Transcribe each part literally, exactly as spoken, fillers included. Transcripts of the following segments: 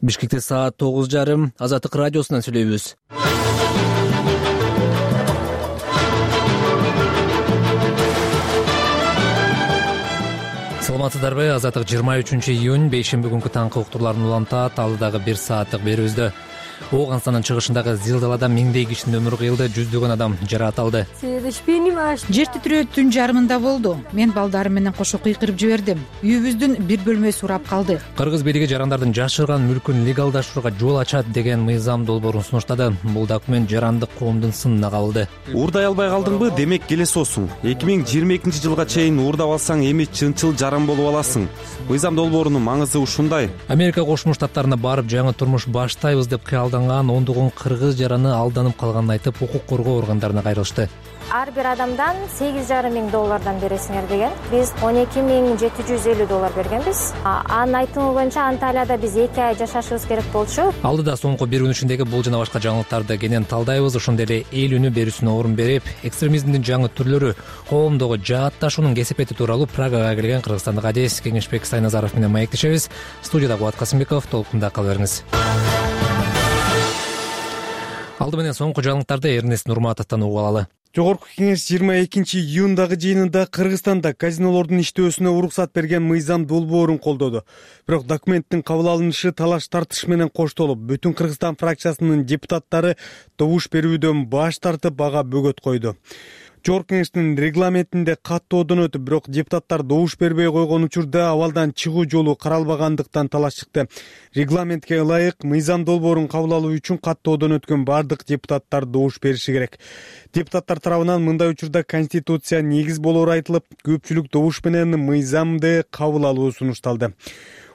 Бишкекте саат тогуз жарым. Азаттык радиосунан сүйлөйбүз. Саламатсыздарбы? Азаттык жыйырма үчүнчү июнь бейшемби күнкү таңкы уктурларын улантат. Ал дагы бир сааттык берүүбүздө. Ооганстанын чыгышындагы Зилдалада миңдей кишинин өмүрү кыйылды, жүздөгөн адам жаракат алды. Жер титирөө түн жарымында болду. Мен балдарым менен кошо кыйкырып жибердим. Үйүбүздүн бир бөлмөсү урап калды. Кыргыз бийлиги жарандардын жашырган мүлкүн легалдаштырууга жол ачат деген мыйзам долбоорун сунуштады. Бул документ жарандык коомдун сынына кабылды. Уурдай албай калдыңбы? Демек келесиосуң. эки миң жыйырма экинчи жылга чейин уурдап алсаң эми чынчыл жаран болуп аласың. Мыйзам долбоорунун маңызы ушундай. Америка Кошмо Штаттарына барып жаңы турмуш баштайбыз деп кыялданган ондогон кыргыз жараны алданып калганын айтып, укук коргоо органдарына кайрылышты. Ар бир адамдан сегиз жарым миң доллардан бересиңер деген. Биз он эки миң жети жүз элүү доллар бергенбиз. Анын айтымы боюнча Анталияда биз эки ай жашашыбыз керек болчу. Алдыда соңку бир күн ичиндеги бул жана башка жаңылыктарды кенен талдайбыз. Ошондой эле эл үнү берүүсүнө орун берип, экстремизмдин жаңы түрлөрү, коомдогу жаатташуунун кесепети тууралуу Прагага келген кыргызстандык адис Кеңешбек Сайназаров менен маектешебиз. Студияда Кубат Касымбеков, толкунда кала бериңиз. Алды менен соңку жаңылыктарды Эрнест Нурматовдон угуп алалы. Жогорку кеңеш жыйырма экинчи июндагы жыйынында Кыргызстанда казинолордун иштөөсүнө уруксат берген мыйзам долбоорун колдоду. Бирок документтин кабыл алынышы талаш тартыш менен коштолуп, Бүтүн Кыргызстан фракциясынын депутаттары добуш берүүдөн баш тартып, ага бөгөт койду. Жогорку кеңештин регламентинде каттоодон өтүп, бирок депутаттар добуш бербей койгон учурда абалдан чыгуу жолу каралбагандыктан талаш чыкты. Регламентке ылайык мыйзам долбоорун кабыл алуу үчүн каттоодон өткөн бардык депутаттар добуш бериши керек. Депутаттар тарабынан мындай учурда Конституция негиз болоору айтылып, көпчүлүк добуш менен мыйзамды кабыл алуу сунушталды.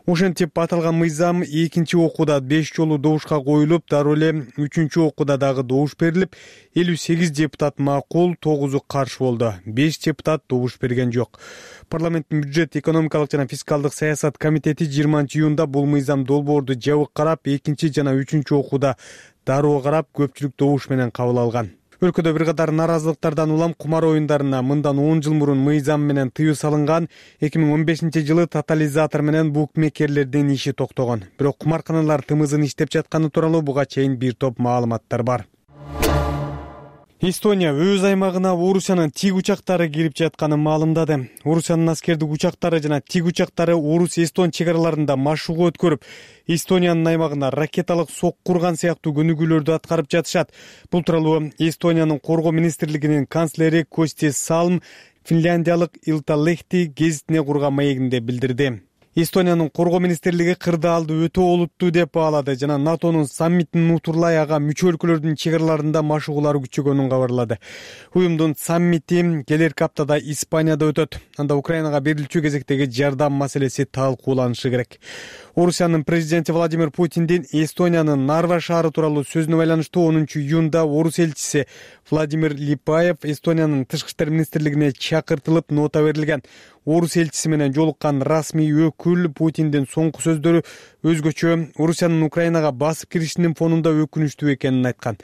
Ошентип аталган мыйзам экинчи окууда беш жолу добушка коюлуп, дароо эле үчүнчү окууда дагы добуш берилип, элүү сегиз депутат макул, тогузу каршы болду. беш депутат добуш берген жок. Парламенттин бюджет, экономикалык жана фискалдык саясат комитети жыйырманчы июнда бул мыйзам долбоорду жабык карап, экинчи жана үчүнчү окууда дароо карап, көпчүлүк добуш менен кабыл алган. Өлкөдө бир катар нааразылыктардан улам кумар оюндарына мындан он жыл мурун мыйзам менен тыюу салынган. эки миң он бешинчи жылы тотализатор менен букмекерлердин иши токтогон. Бирок кумарканалар тымызын иштеп жатканы тууралуу буга чейин бир топ маалыматтар бар. Эстония өз аймагына Орусиянын тиг учактары кирип жатканын маалымдады. Орусиянын аскердик учактары жана тиг учактары Орус-Эстон чек араларында машыгуу өткөрүп, Эстониянын аймагына ракеталык сок курган сыяктуу көнүгүүлөрдү аткарып жатышат. Бул тууралуу Эстониянын коргоо министрлигинин канцлери Кости Салм финляндиялык Илталехти гезитине курган маегинде билдирди. Эстониянын коргоо министрлиги кырдаалды өтө олуттуу деп баалады жана НАТОнун саммитин утурлай ага мүчө өлкөлөрдүн чек араларында машыгуулар күчөгөнүн кабарлады. Уюмдун саммити келерки аптада Испанияда өтөт. Анда Украинага берилчү кезектеги жардам маселеси талкууланышы керек. Орусиянын президенти Владимир Путиндин Эстониянын Нарва шаары тууралуу сөзүнө байланыштуу онунчу июнда орус элчиси Владимир Липаев Эстониянын тышкы иштер министрлигине чакыртылып, нота берилген. Орус элчиси менен жолуккан расмий өкүл Путиндин соңку сөздөрү өзгөчө Орусиянын Украинага басып киришинин фонунда өкүнүчтүү экенин айткан.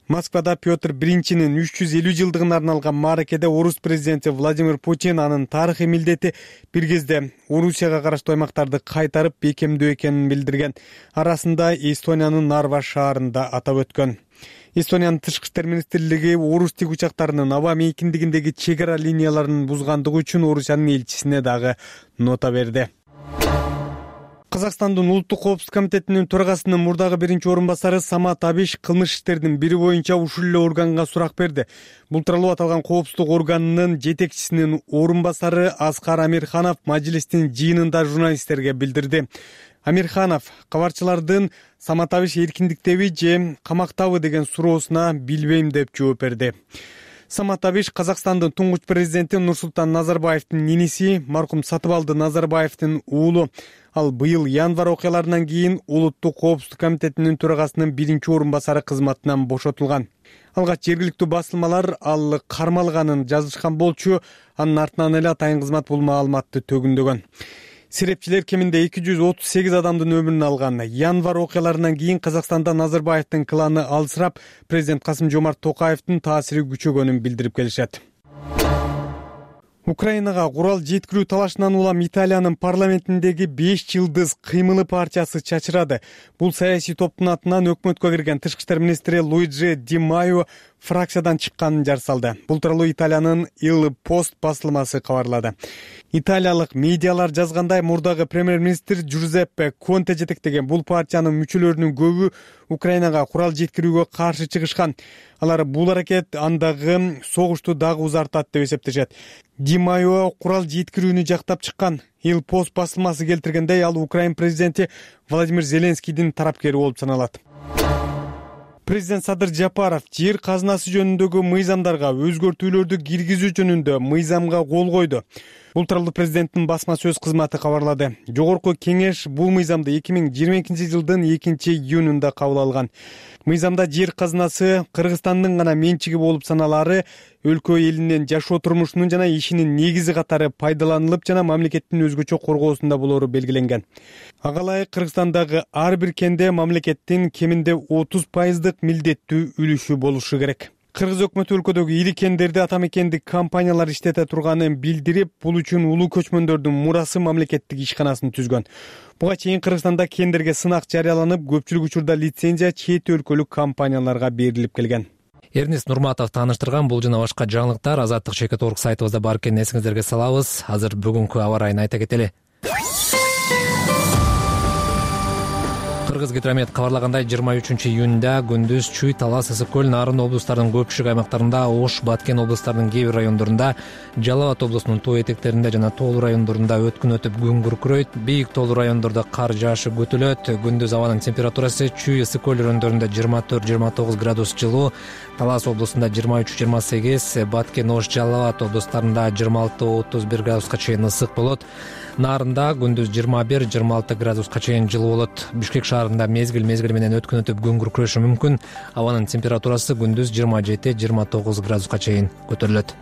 Москвада Петр биринчинин үч жүз элүү жылдыгына арналган мааракеде орус президенти Владимир Путин анын тарыхый милдети бир кезде Орусияга караштуу аймактарды кайтарып бекемдөө экенин билдирген. Арасында Эстониянын Нарва шаарында атап өткөн. Эстониянын тышкы иштер министрлиги орус тиг учактарынын аба мейкиндигиндеги чек ара линияларын бузгандыгы үчүн Орусиянын элчисине дагы нота берди. Казакстандын улуттук коопсуздук комитетинин төрагасынын мурдагы биринчи орун басары Самат Абиш кылмыш иштердин бири боюнча ушул эле органга сурак берди. Бул тууралуу аталган коопсуздук органынын жетекчисинин орун басары Аскар Амирханов мажлистин жыйынында журналисттерге билдирди. Амирханов кабарчылардын Самат Абиш эркиндиктеби же камактабы деген суроосуна билбейм деп жооп берди. Самат Абиш Казакстандын туңгуч президенти Нурсултан Назарбаевдин иниси, маркум Сатыбалды Назарбаевдин уулу. Ал быйыл январь окуяларынан кийин улуттук коопсуздук комитетинин төрагасынын биринчи орун басары кызматынан бошотулган. Алгач жергиликтүү басылмалар ал кармалганын жазышкан болчу, анын артынан эле атайын кызмат бул маалыматты төгүндөгөн. Серепчилер кеминде эки жүз отуз сегиз адамдын өмүрүн алган. Январь окуяларынан кийин Казакстанда Назарбаевдин кланы алсырап, президент Касым Жомарт Токаевдин таасири күчөгөнүн билдирип келишет. Украинага курал жеткирүү талашынан улам Италиянын парламентиндеги беш жылдыз кыймылы партиясы чачырады. Бул саясий топтун атынан өкмөткө кирген тышкы иштер министри Луиджи Ди Майо фракциядан чыкканын жар салды. Бул тууралуу Италиянын Il Post басылмасы кабарлады. Италиялык медиалар жазгандай, мурдагы премьер-министр Джузеппе Конте жетектеген бул партиянын мүчөлөрүнүн көбү Украинага курал жеткирүүгө каршы чыгышкан. Алар бул аракет андагы согушту дагы узартат деп эсептешет. Ди Майо курал жеткирүүнү жактап чыккан. Il Post басылмасы келтиргендей, ал Украин президенти Владимир Зеленскийдин тарапкери болуп саналат. Президент Садыр Жапаров жер казынасы жөнүндөгү мыйзамдарга өзгөртүүлөрдү киргизүү жөнүндө мыйзамга кол койду. Бул тууралуу президенттин басма сөз кызматы кабарлады. Жогорку кеңеш бул мыйзамды эки миң жыйырма экинчи жылдын экинчи июнунда кабыл алган. Мыйзамда жер казынасы Кыргызстандын гана менчиги болуп саналары өлкө элинин жашоо турмушунун жана ишинин негизи катары пайдаланылып жана мамлекеттин өзгөчө коргоосунда болору белгиленген. Ага ылайык Кыргызстандагы ар бир кенде мамлекеттин кеминде отуз пайыздык милдеттүү үлүшү болушу керек. Кыргыз өкмөтү өлкөдөгү ири кендерди ата мекендик компаниялар иштете турганын билдирип, бул үчүн улуу көчмөндөрдүн мурасы мамлекеттик ишканасын түзгөн. Буга чейин Кыргызстанда кендерге сынак жарыяланып, көпчүлүк учурда лицензия чет өлкөлүк компанияларга берилип келген. Эрнест Нурматов тааныштырган бул жана башка жаңылыктар азаттык чекит орг сайтыбызда бар экенин эсиңиздерге салабыз. Азыр бүгүнкү аба ырайын айта кетели. Кыргыз гидромет кабарлагандай, жыйырма үчүнчү июнда күндүз Чүй, Талас, Ысык көл, Нарын облустарынын көпчүлүк аймактарында, Ош, Баткен облустарынын кээ бир райондорунда, Жалал Абад облусунун тоо этектеринде жана тоолуу райондорунда өткүн өтүп күн күркүрөйт. Бийик тоолуу райондордо кар жаашы күтүлөт. Күндүз абанын температурасы Чүй, Ысык көл райондорунда жыйырма төрт жыйырма тогуз градус жылуу, Талас облусунда жыйырма үч жыйырма сегиз, Баткен, Ош, Жалал Абад облустарында жыйырма алты отуз бир градуска чейин ысык болот. Нарында күндүз жыйырма бир жыйырма алты градуска чейин жылуу болот. Бишкек шаарында мезгил мезгили менен өткүн өтүп күн күркүрөшү мүмкүн. Абанын температурасы күндүз жыйырма жети жыйырма тогуз градуска чейин көтөрүлөт.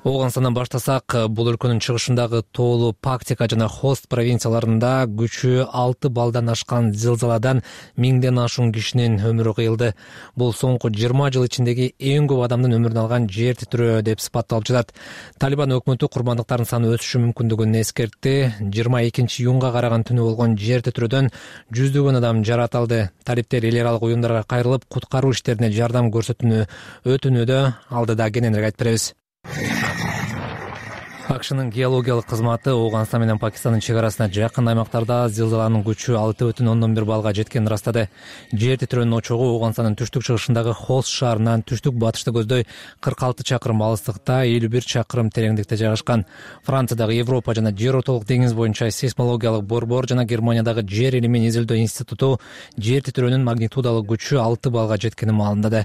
Ооганстандан баштасак, бул өлкөнүн чыгышындагы тоолуу Пактика жана Хост провинцияларында күчү алты балдан ашкан зылзаладан миңден ашуун кишинин өмүрү кыйылды. Бул соңку жыйырма жыл ичиндеги эң көп адамдын өмүрүн алган жер титирөө деп сыпатталып жатат. Талибан өкмөтү курмандыктардын саны өсүшү мүмкүндүгүн эскертти. жыйырма экинчи июнга караган түнү болгон жер титирөөдөн жүздөгөн адам жаракат алды. Талиптер эл аралык уюмдарга кайрылып, куткаруу иштерине жардам көрсөтүүнү өтүнүүдө. Алдыда кененирээк айтып беребиз. Акшнын геологиялык кызматы Ооганстан менен Пакистандын чек арасына жакын аймактарда зылзаланын күчү алты бүтүн ондон бир баллга жеткенин ырастады. Жер титирөөнүн очогу Ооганстандын түштүк чыгышындагы Хост шаарынан түштүк батышты көздөй кырк алты чакырым алыстыкта, элүү бир чакырым тереңдикте жайгашкан. Франциядагы Европа жана жер ортолук деңиз боюнча сейсмологиялык борбор жана Германиядагы жер илимин изилдөө институту жер титирөөнүн магнитудалык күчү алты баллга жеткенин маалымдады.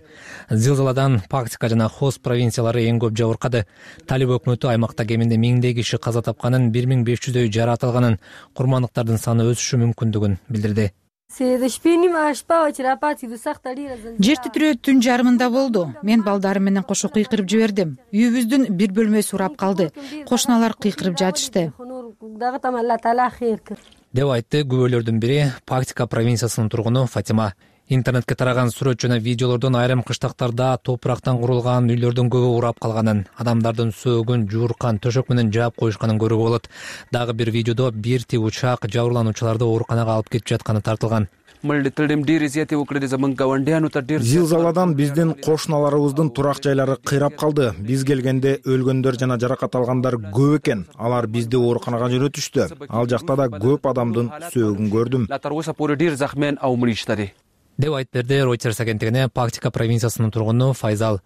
Зылзаладан Пактика жана Хост провинциялары эң көп жабыркады. Талиб өкмөтү аймакта кеминде миңдей киши каза тапканын, бир миң беш жүздөй жаракат алганын, курмандыктардын саны өсүшү мүмкүндүгүн билдирди. Жер титирөө түн жарымында болду. Мен балдарым менен кошо кыйкырып жибердим. Үйүбүздүн бир бөлмөсү урап калды. Кошуналар кыйкырып жатышты, деп айтты күбөлөрдүн бири Пактика провинциясынын тургуну Фатима. Интернетке тараган сүрөт жана видеолордон айрым кыштактарда топурактан курулган үйлөрдүн көбү урап калганын, адамдардын сөөгүн жууркан төшөк менен жаап коюшканын көрүүгө болот. Дагы бир видеодо бир тип учак жабырлануучуларды ооруканага алып кетип жатканы тартылган. Зилзаладан биздин кошуналарыбыздын турак жайлары кыйрап калды. Биз келгенде өлгөндөр жана жаракат алгандар көп экен. Алар бизди ооруканага жөнөтүштү. Ал жакта да көп адамдын сөөгүн көрдүм, деп айтып берди Reuters агенттигине Пактика провинциясынын тургуну Файзал.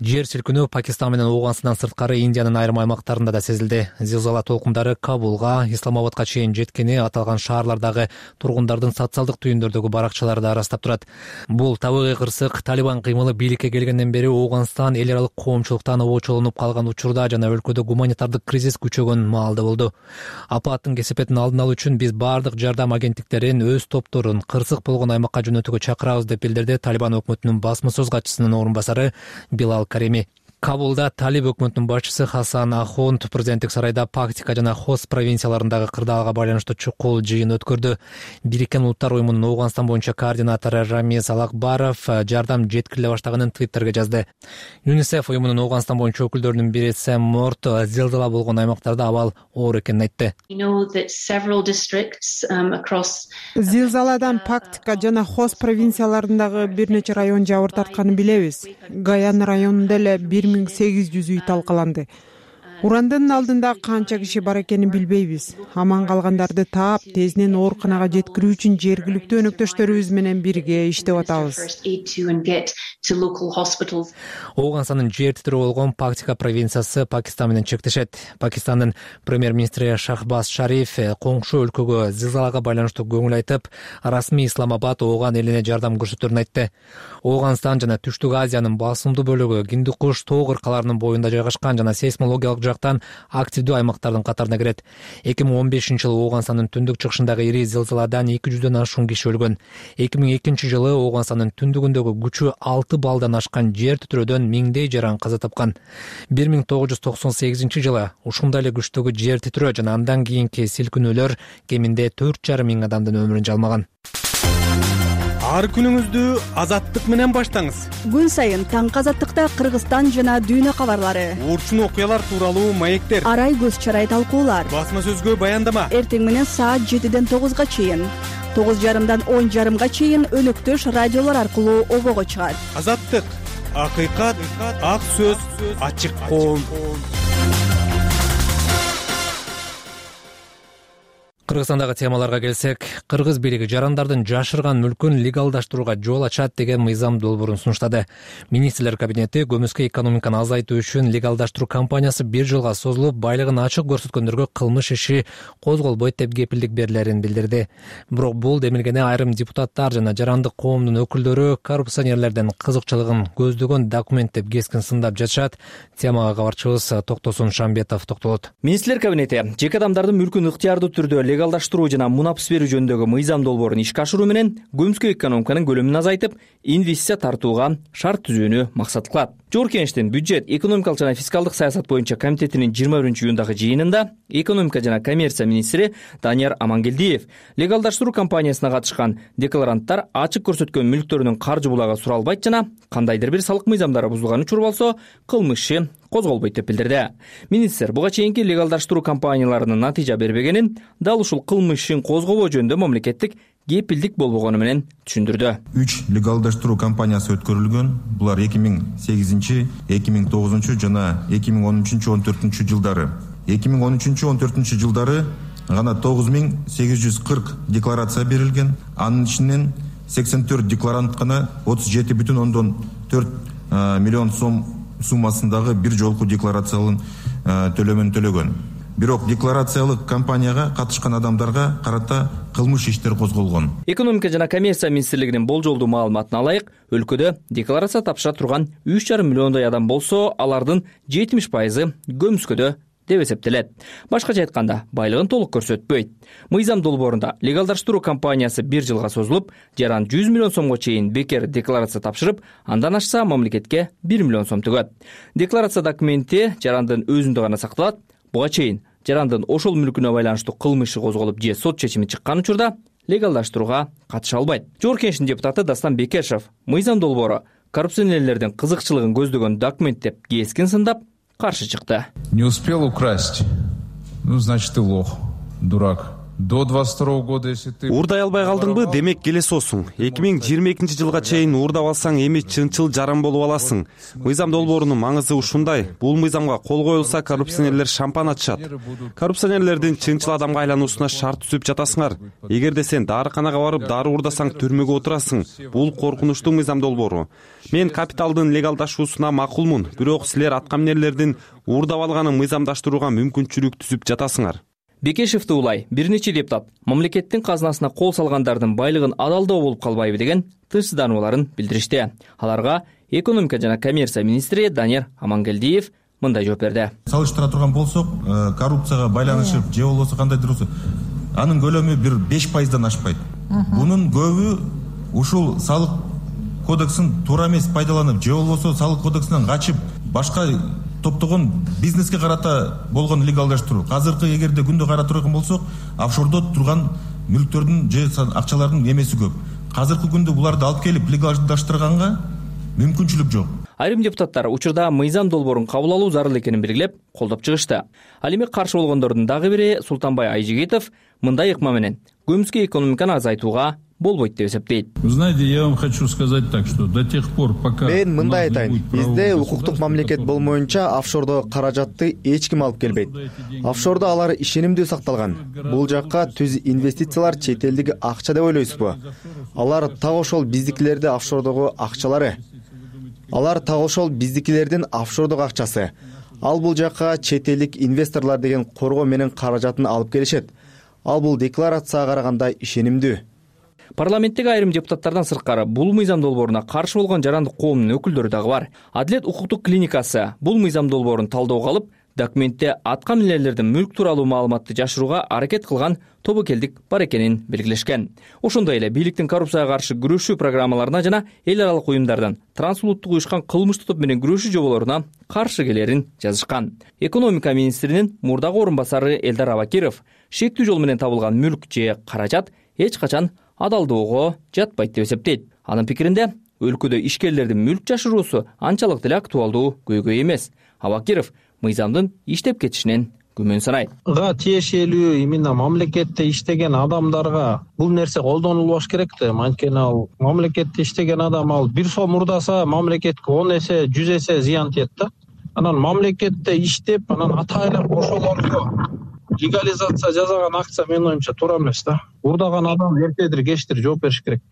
Жер силкинүү Пакистан менен Ооганстандан сырткары Индиянын айрым аймактарында да сезилди. Зилзала толкундары Кабулга, Исламабадка чейин жеткени аталган шаарлардагы тургундардын социалдык түйүндөрдөгү баракчаларда ырастап турат. Бул табигый кырсык Талибан кыймылы бийликке келгенден бери Ооганстан эл аралык коомчулуктан обочолонуп калган учурда жана өлкөдө гуманитардык кризис күчөгөн маалда болду. Апаттын кесепетин алдын алуу үчүн биз бардык жардам агенттиктерин өз топторун кырсык болгон аймакка жөнөтүүгө чакырабыз деп билдирди Талибан өкмөтүнүн басма сөз катчысынын орун басары Билал Кареми. Кабулда талиб өкмөтүнүн башчысы Хасан Ахунд президенттик сарайда Пактика жана Хост провинцияларындагы кырдаалга байланыштуу чукул жыйын өткөрдү. Бириккен Улуттар уюмунун Ооганстан боюнча координатору Рамиз Алакбаров жардам жеткириле баштаганын Твиттерге жазды. ЮНИСЕФ уюмунун Ооганстан боюнча өкүлдөрүнүн бири Сэм Морт зилзала болгон аймактарда абал оор экенин айтты. Зилзаладан Пактика жана Хост провинцияларындагы бир нече район жабыр тартканын билебиз. Гаян районунда эле бир миң сегиз жүз үй талкаланды. Урандын алдында канча киши бар экенин билбейбиз. Аман калгандарды таап, тезинен ооруканага жеткирүү үчүн жергиликтүү өнөктөштөрүбүз менен бирге иштеп атабыз. Ооганстандын жер титирөө болгон Пактика провинциясы Пакистан менен чектешет. Пакистандын премьер-министри Шахбаз Шариф коңшу өлкөгө зилзалага байланыштуу көңүл айтып, расмий Исламабад Ооган элине жардам көрсөтөрүн айтты. Ооганстан жана Түштүк Азиянын басымдуу бөлүгү Гиндукуш тоо кыркаларынын боюнда жайгашкан жана сейсмологиялык жактан активдүү аймактардын катарына кирет. эки миң он бешинчи жылы Ооганстандын түндүк чыгышындагы ири зилзаладан эки жүздөн ашуун киши өлгөн. эки миң экинчи жылы Ооганстандын түндүгүндөгү күчү алты баллдан ашкан жер титирөөдөн миңдей жаран каза тапкан. бир миң тогуз жүз токсон сегизинчи жылы ушундай эле күчтөгү жер титирөө жана андан кийинки силкинүүлөр кеминде төрт жарым миң адамдын өмүрүн жалмаган. Ар күнүңүздү азаттык менен баштаңыз. Күн сайын таңкы азаттыкта Кыргызстан жана дүйнө кабарлары, Урчун окуялар тууралуу маектер, арай көз чарай талкуулар, басма сөзгө баяндама. Эртең менен саат жетиден тогузга чейин, тогуз жарымдан он жарымга чейин өнөктөш радиолор аркылуу обого чыгат. Азаттык, акыйкат, ак сөз, ачык коом. Кыргызстандагы темаларга келсек, кыргыз бийлиги жарандардын жашырган мүлкүн легалдаштырууга жол ачат деген мыйзам долбоорун сунуштады. Министрлер кабинети көмүскө экономиканы азайтуу үчүн легалдаштыруу кампаниясы бир жылга созулуп, байлыгын ачык көрсөткөндөргө кылмыш иши козголбойт деп кепилдик берилерин билдирди. Бирок бул демилгене айрым депутаттар жана жарандык коомдун өкүлдөрү коррупционерлердин кызыкчылыгын көздөгөн документ деп кескин сындап жатышат. Темага кабарчыбыз Токтосун Шамбетов токтолот. Министрлер кабинети жеке адамдардын мүлкүн ыктыярдуу түрдө легалдаштыруу жана мунапс берүү жөнүндөгү мыйзам долбоорун ишке ашыруу менен көмүскө экономиканын көлөмүн азайтып, инвестиция тартууга шарт түзүүнү максат кылат. Жогорку Кеңештин бюджет, экономикалык жана фискалдык саясат боюнча комитетинин жыйырма биринчи июндагы жыйынында экономика жана коммерция министри Данияр Амангелдиев легалдаштыруу кампаниясына катышкан декларанттар ачык көрсөткөн мүлктөрүнүн каржы булагы суралбайт жана кандайдыр бир салык мыйзамдары бузулган учур болсо, кылмыш иши козголбойт деп билдирди. Министр буга чейинки легалдаштыруу кампанияларынын натыйжа бербегенин, дал ушул кылмыш ишин козгобоо жөнүндө мамлекеттик кепилдик болбогону менен түшүндүрдү. үч легалдаштыруу кампаниясы өткөрүлгөн. Булар эки миң сегизинчи, эки миң тогузунчу жана эки миң он үчүнчү он төртүнчү жылдары. эки миң он үчүнчү он төртүнчү жылдары гана тогуз миң сегиз жүз кырк декларация берилген. Анын ичинен сексен төрт декларант гана отуз жети бүтүн ондон төрт миллион сом суммасындагы бир жолку декларациялын төлөмүн төлөгөн. Бирок декларациялык кампанияга катышкан адамдарга карата кылмыш иштер козголгон. Экономика жана коммерция министрлигинин болжолдуу маалыматына алайык, өлкөдө декларация тапшыра турган үч жарым миллиондой адам болсо, алардын жетимиш пайызы көмүскөдө деп эсептелет. Башкача айтканда, байлыгын толук көрсөтпөйт. Мыйзам долбоорунда легалдаштыруу кампаниясы бир жылга созулуп, жаран жүз миллион сомго чейин бекер декларация тапшырып, андан ашса мамлекетке бир миллион сом төгөт. Декларация документи жарандын өзүндө гана сакталат. Буга чейин жарандын ошол мүлкүнө байланыштуу кылмышы козголуп же сот чечими чыккан учурда легалдаштырууга катыша албайт. Жогорку Кеңештин депутаты Дастан Бекешев мыйзам долбоору коррупционерлердин кызыкчылыгын көздөгөн документ деп кескин сындап каршы чыкты. Не успел украсть. Ну, значит, ты лох, дурак. До двадцать второго года, если ты... Уурдай албай калдыңбы, демек келесиосуң. эки миң жыйырма экинчи жылга чейин уурдап алсаң, эми чынчыл жаран болуп аласың. Мыйзам долбоорунун маңызы ушундай. Бул мыйзамга кол коюлса, коррупционерлер шампан ачышат. Коррупционерлердин чынчыл адамга айлануусуна шарт түзүп жатасыңар. Эгерде сен дарыканага барып, дары уурдасаң, түрмөгө отурасың. Бул коркунучтуу мыйзам долбоору. Мен капиталдын легалдашуусуна макулмун, бирок силер аткаминерлердин уурдап алганын мыйзамдаштырууга мүмкүнчүлүк түзүп жатасыңар. Бекешевди улай бир нече депутат мамлекеттин казынасына кол салгандардын байлыгын адалдоо болуп калбайбы деген тынчсызданууларын билдиришти. Аларга экономика жана коммерция министри Данияр Амангелдиев мындай жооп берди. Салыштыра турган болсок, коррупцияга байланышып, же болбосо кандайдыр болсо, анын көлөмү бир беш пайыздан ашпайт. Бунун көбү ушул салык кодексин туура эмес пайдаланып, же болбосо салык кодексинен качып, башка топтогон бизнеске карата болгон легалдаштыруу. Азыркы эгерде күндө карап турган болсок, офшордо турган мүлктөрдүн же акчалардын эмеси көп. Азыркы күндө буларды алып келип легалдаштырганга мүмкүнчүлүк жок. Айрым депутаттар учурда мыйзам долбоорун кабыл алуу зарыл экенин белгилеп, колдоп чыгышты. Ал эми каршы болгондордун дагы бири Султанбай Айжигитов мындай ыкма менен көмүскө экономиканы азайтууга болбойт деп эсептейт. Знаете, я вам хочу сказать так, что до тех пор, пока мен мындай айтайын, бизде укуктук мамлекет болмоюнча офшордо каражатты эч ким алып келбейт. Офшордо алар ишенимдүү сакталган. Бул жакка түз инвестициялар чет элдик акча деп ойлойсузбу? Алар так ошол биздикилерди офшордогу акчалары. Алар так ошол биздикилердин офшордогу акчасы. Ал бул жакка чет элдик инвесторлор деген коргоо менен каражатын алып келишет. Ал бул декларацияга караганда ишенимдүү. Парламенттеги айрым депутаттардан сырткары бул мыйзам долбооруна каршы болгон жарандык коомдун өкүлдөрү дагы бар. Адилет укуктук клиникасы бул мыйзам долбоорун талоого алып, документте аткан элелердин мүлк тууралуу маалыматты жашырууга аракет кылган тобокелдик бар экенин белгилешкен. Ошондой эле бийликтин коррупцияга каршы күрөшүү программаларына жана эл аралык уюмдардын трансулуттук уюшкан кылмыштуу топ менен күрөшүү жоболоруна каршы келерин жазышкан. Экономика министринин мурдагы орун басары Элдар Абакиров шектүү жол менен табылган мүлк же каражат эч качан адалдоого жатпайт деп эсептейт. Анын пикиринде өлкөдө ишкерлердин мүлк жашыруусу анчалык деле актуалдуу көйгөй эмес. Абакиров мыйзамдын иштеп кетишинен күмөн санайт. Га тиешелүү именно мамлекетте иштеген адамдарга бул нерсе колдонулбаш керек да. Анткени ал мамлекетте иштеген адам ал бир сом урдаса мамлекетке он эсе, жүз эсе зыян тиет да. Анан мамлекетте иштеп, анан атайлап ошолорго легализация жасаган акция менин оюмча туура эмес да. Урдаган адам эртедир кечтир жооп бериш керек.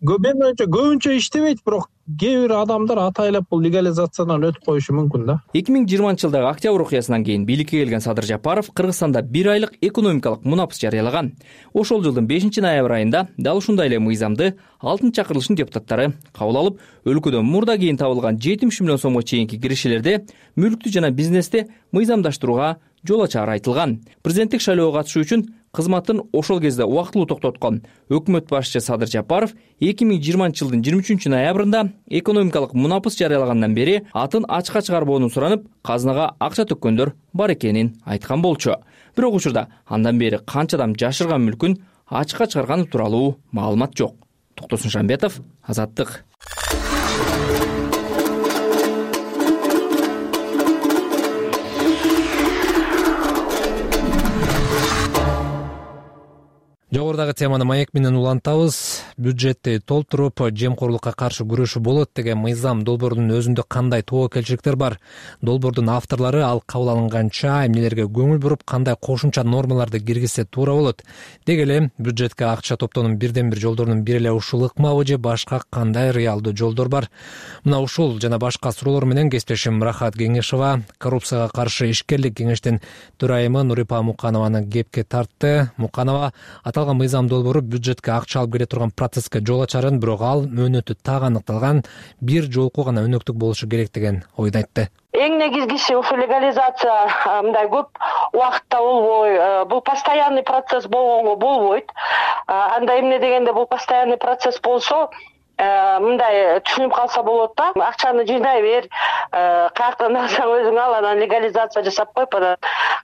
Менин оюмча көбүнчө иштебейт, бирок кээ бир адамдар атайлап бул легализациядан өтүп коюшу мүмкүн да. эки миң жыйырманчы жылдагы октябрь окуясынан кийин бийликке келген Садыр Жапаров Кыргызстанда бир айлык экономикалык мунапыс жарыялаган. Ошол жылдын бешинчи ноябрь айында дал ушундай эле мыйзамды алтынчы чакырылыштын депутаттары кабыл алып, өлкөдө мурда кийин табылган жетимиш миллион сомго чейинки киришелерди мүлктү жана бизнести мыйзамдаштырууга жол ачары айтылган. Президенттик шайлоого катышуу үчүн кызматын ошол кезде убактылуу токтоткон өкмөт башчысы Садыр Жапаров эки миң жыйырманчы жылдын жыйырма үчүнчү ноябрында экономикалык мунапыс жарыялагандан бери атын ачыкка чыгарбоону суранып, казынага акча төккөндөр бар экенин айткан болчу. Бирок учурда андан бери канча адам жашырган мүлкүн ачыкка чыгарганы тууралуу маалымат жок. Токтосун Шамбетов, Азаттык. Жогорудагы теманы маек менен улантабыз. Бюджетти толтуруп, жемкорлукка каршы күрөшүү болот деген мыйзам долбоорунун өзүндө кандай тобокелчиликтер бар? Долбоордун авторлору ал кабыл алынганча эмнелерге көңүл буруп, кандай кошумча нормаларды киргизсе туура болот? Деги эле бюджетке акча топтоонун бирден бир жолдорунун бири эле ушул ыкмабы же башка кандай реалдуу жолдор бар? Мына ушул жана башка суроолор менен кесиптешим Рахат Кеңешова коррупцияга каршы ишкерлик кеңештин төрайымы Нурипа Муканованы кепке тартты. Муканова аталган мыйзам долбоору бюджетке акча алып келе турган процесске жол ачарын, бирок ал мөөнөтү так аныкталган бир жолку гана өнөктүк болушу керек деген ойду айтты. Эң негизгиси ушул легализация мындай көп убакытта болбой, бул постоянный процесс болгонго болбойт. Анда эмне дегенде бул постоянный процесс болсо, мындай түшүнүп калса болот да. Акчаны жыйнай бер, каяктан алсаң өзүң ал, анан легализация жасап коюп, анан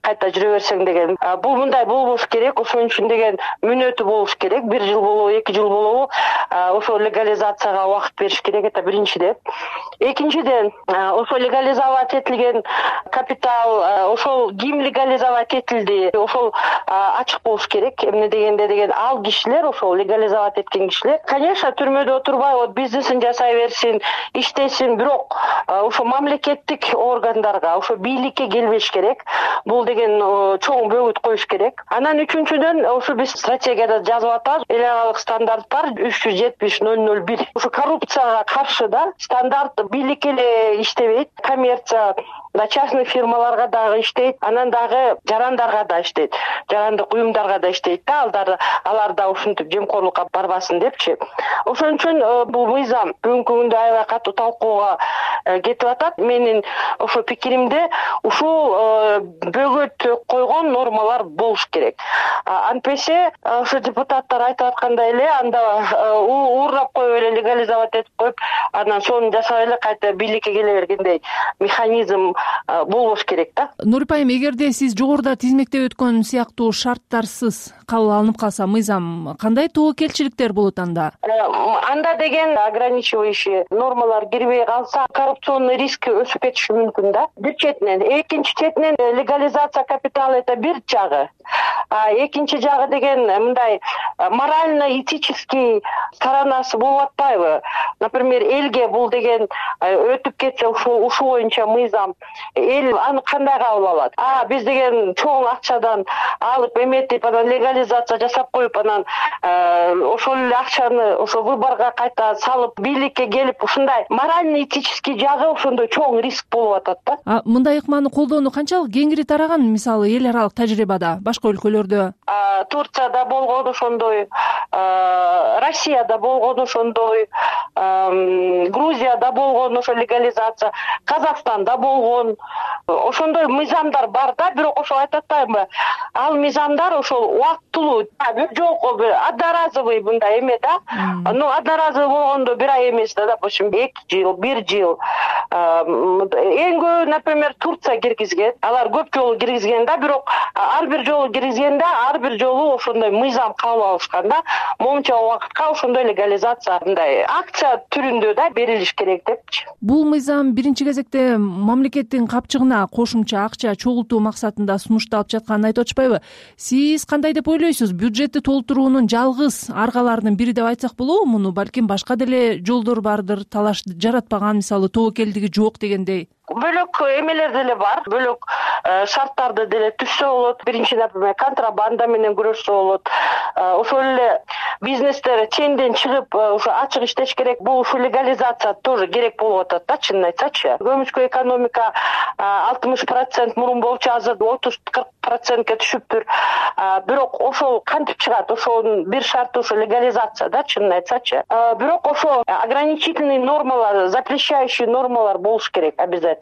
кайта жүрө берсең деген. Бул мындай болбош керек. Ошон үчүн деген мүнөтү болуш керек. Бир жыл болобу, эки жыл болобу, ошол легализацияга убакыт бериш керек. Это биринчиден. Экинчиден, ошол легализовать этилген капитал, ошол ким легализовать этилди, ошол ачык болуш керек. Эмне дегенде деген ал кишилер, ошол легализовать эткен кишилер, конечно, түрмөдө отурбай, вот бизнесин жасай берсин, иштесин, бирок ошо мамлекеттик органдарга, ошо бийликке келбеш керек. Бул деген чоң бөгүт коюш керек. Анан үчүнчүдөн, ошо биз стратегияда жазып атабыз, эл аралык стандарттар үч жүз жетимиш ноль ноль бир. Ошо коррупцияга каршы да стандарт бийлик эле иштебейт, коммерция мындай частный фирмаларга дагы иштейт, анан дагы жарандарга да иштейт, жарандык уюмдарга да иштейт да, алар алар да ушинтип жемкорлукка барбасын депчи. Ошон үчүн бул мыйзам бүгүнкү күндө аябай катуу талкууга кетип атат. Менин ошо пикиримде ушул бөгөт койгон нормалар болуш керек. Антпесе ошо депутаттар айтып аткандай эле анда уурдап коюп эле легализовать этип коюп, анан сонун жасап эле кайта бийликке келе бергендей механизм болбош керек да. Нурип айым, эгерде сиз жогоруда тизмектеп өткөн сыяктуу шарттарсыз кабыл алынып калса мыйзам, кандай тобокелчиликтер болот анда? Анда деген ограничивающий нормалар кирбей калса, коррупционный риск өсүп кетиши мүмкүн да. Бир четинен, экинчи четинен легализация капитала это бир жагы. А экинчи жагы деген мындай морально-этический сторонасы болуп атпайбы? Например, элге бул деген өтүп кетсе, ушул ушул боюнча мыйзам, эл аны кандай кабыл алат? А биз деген чоң акчадан алып эметип, анан легализация жасап коюп, анан ошол эле акчаны ошо выборго кайта салып, бийликке келип, ушундай морально-этический жагы ошондой чоң риск болуп атат да. А мындай ыкманы колдоону канчалык кеңири тараган, мисалы эл аралык тажрыйбада, башка өлкөлөрдө? Турцияда болгон ошондой, Россияда болгон ошондой, Грузияда болгон ошо легализация, Казакстанда болгон ошондой мыйзамдар бар да, бирок ошо айтып атпаймынбы? Ал мыйзамдар ошол убактылуу, бир жолку одноразовый мындай эме да. Ну, одноразовый болгондо бир ай эмес да, допустим, эки жыл, бир жыл. Эң көп, например, Турция киргизген. Алар көп жолу киргизген да, бирок ар бир жолу киргизгенде, ар бир жолу ошондой мыйзам кабыл алышкан да. Момунча убакытка ошондой легализация мындай акция түрүндө да берилиш керек депчи. Бул мыйзам биринчи кезекте мамлекеттин капчыгына кошумча акча чогултуу максатында сунушталып жатканын айтып атышпайбы? Сиз кандай деп ойлойсуз? Бюджетти толтуруунун жалгыз аргаларынын бири деп айтсак болобу муну? Балким башка деле жолдор бардыр, талаш жаратпаган, мисалы тобокелдиги жок дегендей. Бөлөк эмелер деле бар, бөлөк шарттарды деле түзсө болот. Биринчи, например, контрабанда менен күрөшсө болот. Ошол эле бизнестер ченден чыгып, ошо ачык иштеш керек. Бул ушу легализация тоже керек болуп атат да, чынын айтсачы. Көмүскө экономика алтымыш процент мурун болчу, азыр отуз кырк процентке түшүптүр. Бирок ошол кантип чыгат? Ошонун бир шарты ошо легализация да, чынын айтсачы. Бирок ошо ограничительный нормалар, запрещающий нормалар болуш керек обязательно.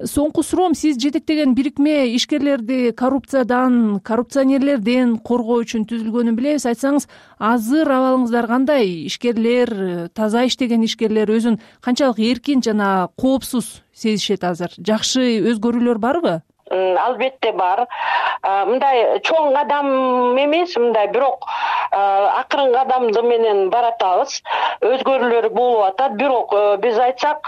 Соңку суроом, сиз жетектеген бирикме ишкерлерди коррупциядан, коррупционерлерден коргоо үчүн түзүлгөнүн билебиз. Айтсаңыз, азыр абалыңыздар кандай? Ишкерлер, таза иштеген ишкерлер өзүн канчалык эркин жана коопсуз сезишет азыр? Жакшы өзгөрүүлөр барбы? Албетте бар. Мындай чоң кадам эмес, мындай бирок акырын кадамды менен баратабыз. Өзгөрүүлөр болуп атат, бирок биз айтсак,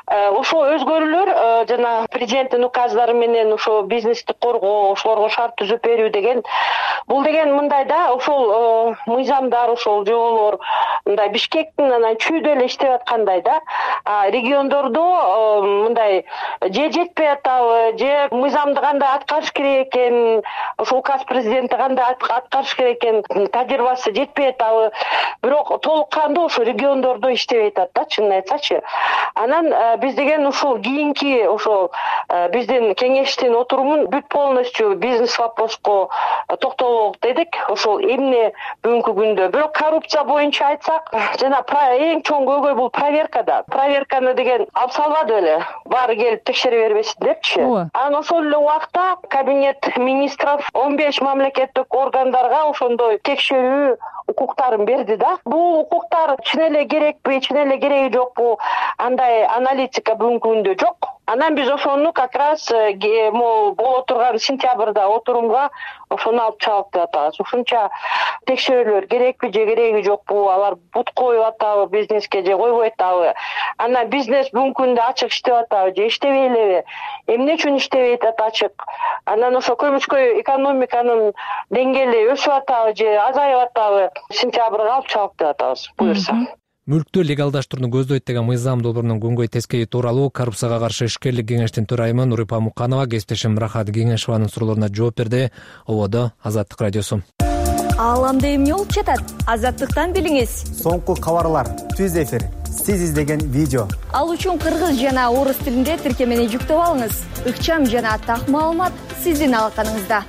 ошо өзгөрүүлөр жана президенттин указдары менен ошо бизнести коргоо, ошолорго шарт түзүп берүү деген, бул деген мындай да, ошол мыйзамдар, ошол жоболор мындай Бишкектин анан чүйдө эле иштеп аткандай да. Региондордо мындай же жетпей атабы, же мыйзамды кандай аткарыш керек экен, ошол указ президенти кандай аткарыш керек экен, тажрыйбасы жетпей атабы. Бирок толук кандуу ошо региондордо иштебей атат да, чынын айтсачы. Анан биз деген ушул кийинки ошол биздин кеңештин отурумун бүт полностью бизнес вопроско токтолок дедик. Ошол эмне бүгүнкү күндө. Бирок коррупция боюнча айтсак, жана эң чоң көйгөй бул проверкада. Проверканы деген алып салбады беле, баары келип текшере бербесин депчи. Анан ошол эле убакта кабинет министров он беш мамлекеттик органдарга ошондой текшерүү укуктарын берди да. Бул укуктар чын эле керекпи, чын эле кереги жокпу? Андай аналитика бүгүнкү күндө жок. Анан биз ошону как раз могу боло турган сентябрда отурумга ошону алып чыгып деп атабыз. Ушунча текшерүүлөр керекпи же кереги жокпу? Алар бут коюп атабы бизнеске же койбой атабы? Анан бизнес бүгүнкү күндө ачык иштеп атабы же иштебей элеби? Эмне үчүн иштебей атат ачык? Анан ошо көмүскө экономиканын деңгээли өсүп атабы же азайып атабы? Сентябрга алып чыгып деп атабыз, буюрса. Мүлктү легалдаштырууну көздөйт деген мыйзам долбоорунун күнгөй тескейи тууралуу Коррупцияга каршы ишкерлик кеңештин төрайымы Нурипа Муканова кесиптешим Рахат Кеңешованын суроолоруна жооп берди. Ободо Азаттык радиосу. Ааламда эмне болуп жатат? Азаттыктан билиңиз. Соңку кабарлар, түз эфир, сиз издеген видео. Ал үчүн кыргыз жана орус тилинде тиркемени жүктөп алыңыз. Ыкчам жана так маалымат сиздин алаканыңызда.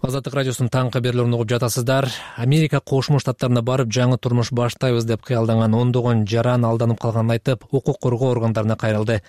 Азаттык радиосунун таңкы берүүлөрүн угуп жатасыздар. Америка Кошмо Штаттарына барып жаңы турмуш баштайбыз деп кыялданган ондогон жаран алданып калганын айтып, укук коргоо органдарына кайрылды.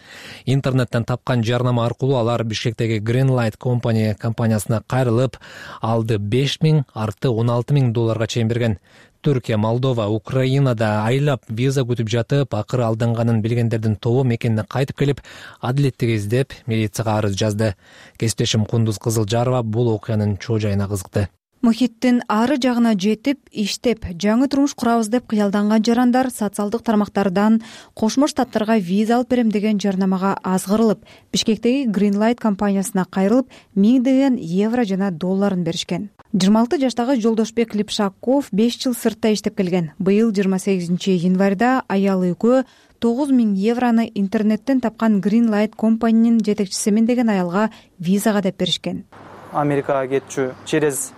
Интернеттен тапкан жарнама аркылуу алар Бишкектеги Greenlight Company компаниясына кайрылып, алды беш миң, артты он алты миң долларга чейин берген. Түркия, Молдова, Украинада айлап виза күтүп жатып, акыры алданганын билгендердин тобу мекенине кайтып келип, адилеттик издеп, милицияга арыз жазды. Кесиптешим Кундуз Кызылжарова бул окуянын чоо жайына кызыкты. Мухиттин ары жагына жетип, иштеп, жаңы турмуш курабыз деп кыялданган жарандар социалдык тармактардан Кошмо Штаттарга виза алып берем деген жарнамага азгырылып, Бишкектеги Greenlight компаниясына кайрылып, миңдеген евро жана долларын беришкен. жыйырма алты жаштагы Жолдошбек Липшаков беш жыл сыртта иштеп келген. Быйыл жыйырма сегизинчи январда аял экөө тогуз миң евроны интернеттен тапкан Greenlight компаниянын жетекчисимин деген аялга визага деп беришкен. Америкага кетчү через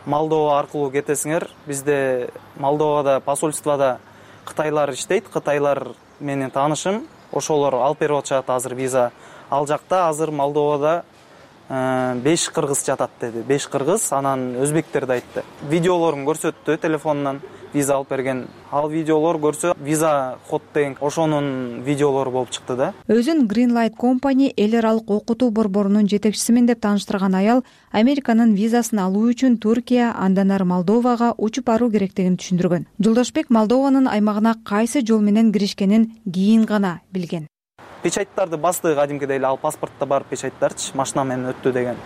Молдова аркылуу кетесиңер. Бизде Молдовада посольствода кытайлар иштейт. Кытайлар менен таанышым. Ошолор алып берип атышат азыр виза. Ал жакта азыр Молдовада беш кыргыз жатат деди. беш кыргыз, анан өзбектерди айтты. Видеолорун көрсөттү телефонунан виза алып берген. Ал видеолор көрсө, виза ход деген ошонун видеолору болуп чыкты да. Өзүн Greenlight Company эл аралык окутуу борборунун жетекчисимин деп тааныштырган аял Американын визасын алуу үчүн Түркия, андан ары Молдовага учуп баруу керектигин түшүндүргөн. Жолдошбек Молдованын аймагына кайсы жол менен киришкенин кийин гана билген. Печаттарды басты кадимкидей эле, ал паспортто бар печаттарчы, машина менен өттү деген.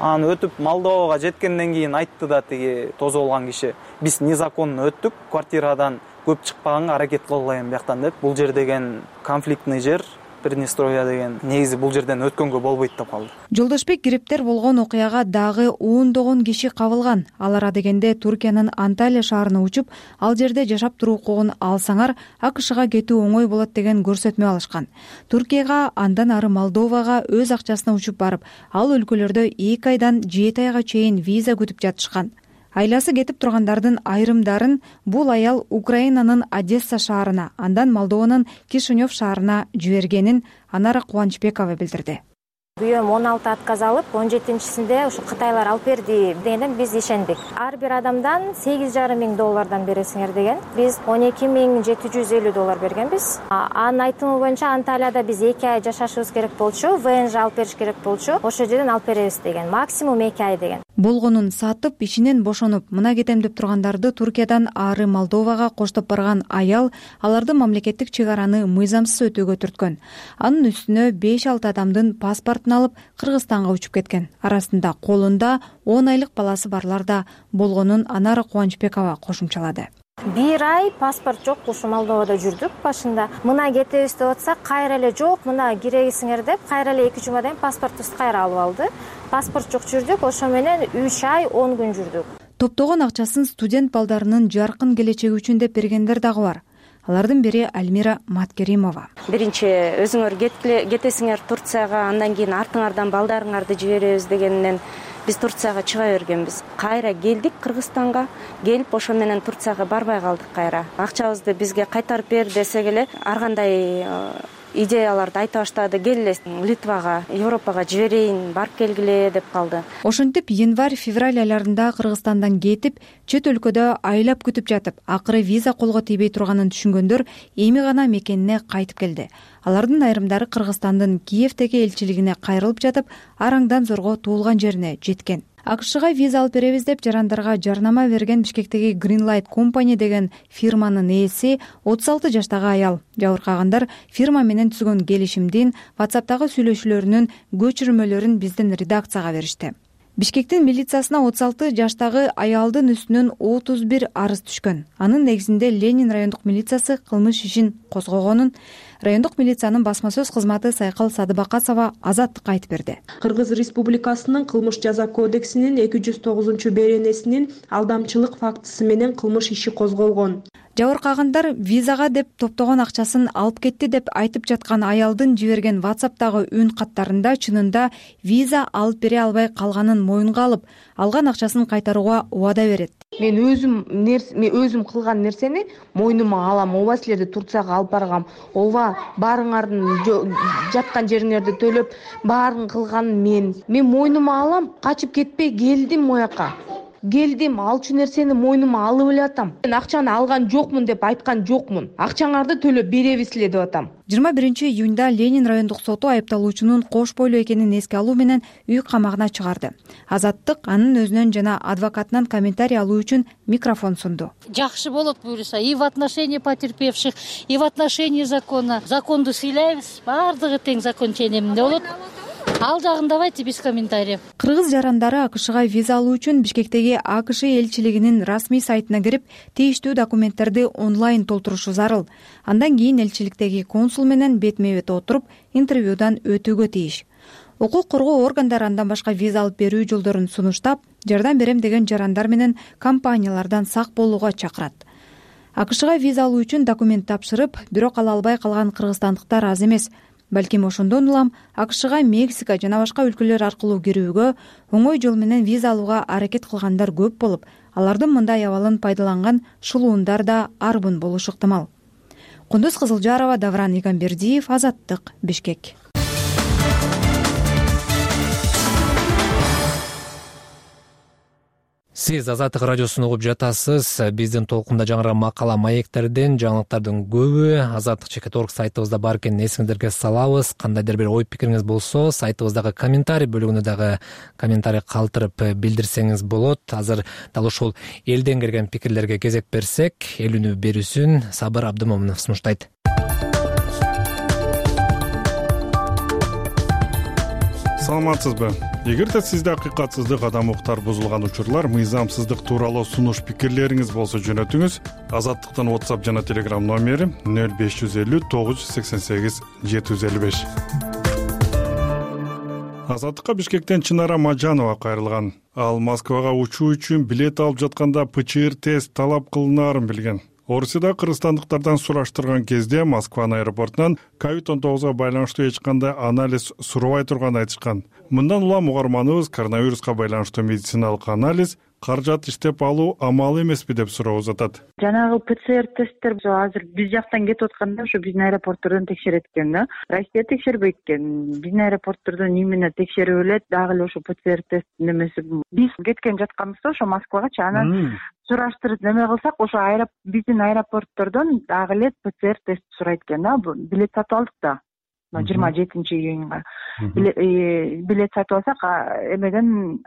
Аны өтүп Молдовага жеткенден кийин айтты да тиги тозу болгон киши, биз незаконно өттүк, квартирадан көп чыкпаганга аракет кылгыла эми бияктан деп. Бул жер деген конфликтный жер, Приднестровье деген. Негизи бул жерден өткөнгө болбойт деп калды. Жолдошбек кириптер болгон окуяга дагы ондогон киши кабылган. Алар адегенде Түркиянын Анталия шаарына учуп, ал жерде жашап туруу укугун алсаңар, АКШга кетүү оңой болот деген көрсөтмө алышкан. Түркияга, андан ары Молдовага өз акчасына учуп барып, ал өлкөлөрдө эки айдан жети айга чейин виза күтүп жатышкан. Айласы кетип тургандардын айрымдарын бул аял Украинанын Одесса шаарына, андан Молдованын Кишинев шаарына жибергенин Анара Кубанычбекова билдирди. Бүйөм он алты отказ алып, он жетинчисинде ушу Кытайлар алып берди дегенден биз ишендик. Ар бир адамдан сегиз жарым миң доллардан бересиңер деген. Биз он эки миң жети жүз элүү доллар бергенбиз. Анын айтымы боюнча Анталияда биз эки ай жашашыбыз керек болчу, ВНЖ алып бериш керек болчу. Ошол жерден алып беребиз деген. Максимум эки ай деген. Болгонун сатып, ишинен бошонуп, мына кетем деп тургандарды Түркиядан ары Молдовага коштоп барган аял аларды мамлекеттик чек араны мыйзамсыз өтүүгө түрткөн. Анын үстүнө беш алты адамдын паспортун алып Кыргызстанга учуп кеткен. Арасында колунда он айлык баласы барлар да болгонун Анара Кубанычбекова кошумчалады. Бир ай паспорт жок, ушу Молдовада жүрдүк башында. Мына кетебиз деп атса, кайра эле жок, мына киресиңер деп, кайра эле эки жума дайын паспортубузду кайра алып алды. Паспорт жок жүрдүк, ошо менен үч ай он күн жүрдүк. Топтогон акчасын студент балдарынын жаркын келечеги үчүн деп бергендер дагы бар. Алардын бири Альмира Маткеримова. Биринчи өзүңөр кетесиңер Турцияга, андан кийин артыңардан балдарыңарды жиберебиз дегенден биз Турцияга чыга бергенбиз. Кайра келдик Кыргызстанга, келип ошо менен Турцияга барбай калдык кайра. Акчабызды бизге кайтарып бер десек эле ар кандай идеяларды айта баштады. Келе Литвага, Европага жиберейин, барып келгиле деп калды. Ошентип январь-февраль айларында Кыргызстандан кетип, чет өлкөдө айлап күтүп жатып, акыры виза колго тийбей турганын түшүнгөндөр эми гана мекенине кайтып келди. Алардын айрымдары Кыргызстандын Киевдеги элчилигине кайрылып жатып, арандан зорго туулган жерине жеткен. АКШга виза алып беребиз деп жарандарга жарнама берген Бишкектеги Greenlight Company деген фирманын ээси отуз алты жаштагы аял. Жабыркагандар фирма менен түзгөн келишимдин WhatsApp'тагы сүйлөшүүлөрүнүн көчүрмөлөрүн биздин редакцияга беришти. Бишкектин милициясына отуз алты жаштагы аялдын үстүнөн отуз бир арыз түшкөн. Анын негизинде Ленин райондук милициясы кылмыш ишин козгогонун райондук милициянын басма сөз кызматы Сайкал Садыбакасова Азаттыкка айтып берди. Кыргыз Республикасынын кылмыш жаза кодексинин эки жүз тогузунчу беренесинин алдамчылык фактысы менен кылмыш иши козголгон. жабыркагандар визага деп топтогон акчасын алып кетти деп айтып жаткан аялдын жиберген ватсаптагы үн каттарында чынында виза алып бере албай калганын моюнга алып, алган акчасын кайтарууга убада берет. Мен өзүм мен өзүм кылган нерсени мойнума алам. Ооба силерди Турцияга алып баргам. Ооба баарыңардын жаткан жериңерди төлөп, баарын кылган мен. Мен мойнума алам, качып кетпей келдим мояка. Келдим, алчу нерсени мойнума алып эле атам. Мен акчаны алган жокмун деп айткан жокмун. Акчаңарды төлөп беребизле деп атам. жыйырма биринчи июнда Ленин райондук соту айыпталуучунун кош бойлуу экенин эске алуу менен үй камагына чыгарды. Азаттык анын өзүнөн жана адвокатынан комментарий алуу үчүн микрофон сунду. Жакшы болот буюрса и в отношении потерпевших, и в отношении закона. Законду сыйлайбыз, баардыгы тең закон ченеминде болот. Ал жагын давайте без комментариев. Кыргыз жарандары АКШга виза алуу үчүн Бишкектеги АКШ элчилигинин расмий сайтына кирип, тийиштүү документтерди онлайн толтурушу зарыл. Андан кийин элчиликтеги консул менен бетме-бет отуруп, интервьюдан өтүүгө тийиш. Укук коргоо органдары андан башка виза алып берүү жолдорун сунуштап, жардам берем деген жарандар менен компаниялардан сак болууга чакырат. АКШга виза алуу үчүн документ тапшырып, бирок ала албай калган кыргызстандыктар аз эмес. Балким ошондон улам АКШга Мексика жана башка өлкөлөр аркылуу кирүүгө, оңой жол менен виза алууга аракет кылгандар көп болуп, алардын мындай абалын пайдаланган шулуундар да арбын болушу ыктымал. Кундуз Кызылжарова, Давран Игамбердиев, Азаттык, Бишкек. Сиз Азаттык радиосун угуп жатасыз. Биздин толкунда жаңырган макала маектерден жаңылыктардын көбү азаттык чекит точка орг сайтыбызда бар экенин эсиңиздерге салабыз. Кандайдыр бир ой пикириңиз болсо, сайтыбыздагы комментарий бөлүгүнө дагы комментарий калтырып билдирсеңиз болот. Азыр дал ушул элден келген пикирлерге кезек берсек, эл үнү берүүсүн Сабыр Абдымомунов сунуштайт. Саламатсызбы? Эгерде сизде акыйкатсыздык, адам укуктар бузулган учурлар, мыйзамсыздык тууралуу сунуш пикирлериңиз болсо жөнөтүңүз. Азаттыктын WhatsApp жана Telegram номери нөл беш жүз элүү тогуз жүз сексен сегиз жети жүз элүү беш. Азаттыкка Бишкектен Чынара Мажанова кайрылган. Ал Москвага учуу үчүн билет алып жатканда ПЧР тест талап кылынаарын билген. Орусияда кыргызстандыктардан сураштырган кезде Москванын аэропортунан ковид он тогузга байланыштуу эч кандай анализ сурабай турганын айтышкан. Мындан улам угарманыбыз коронавируска байланыштуу медициналык анализ каражат иштеп алуу амалы эмеспи деп суроо узатат. Жанагы ПЦР тесттер азыр биз жактан кетип атканда ошо биздин аэропорттордон текшерет экен да. Россия текшербейт экен. Биздин аэропорттордон именно текшерип элет, дагы эле ошо ПЦР тест немеси. Биз кеткен жатканбызда ошо Москвагачы, анан сураштырып неме кылсак, ошо биздин аэропорттордон дагы эле ПЦР тест сурайт экен да. Билет сатып алдык да. жыйырма жетинчи июнга билет сатып алсак, эмеден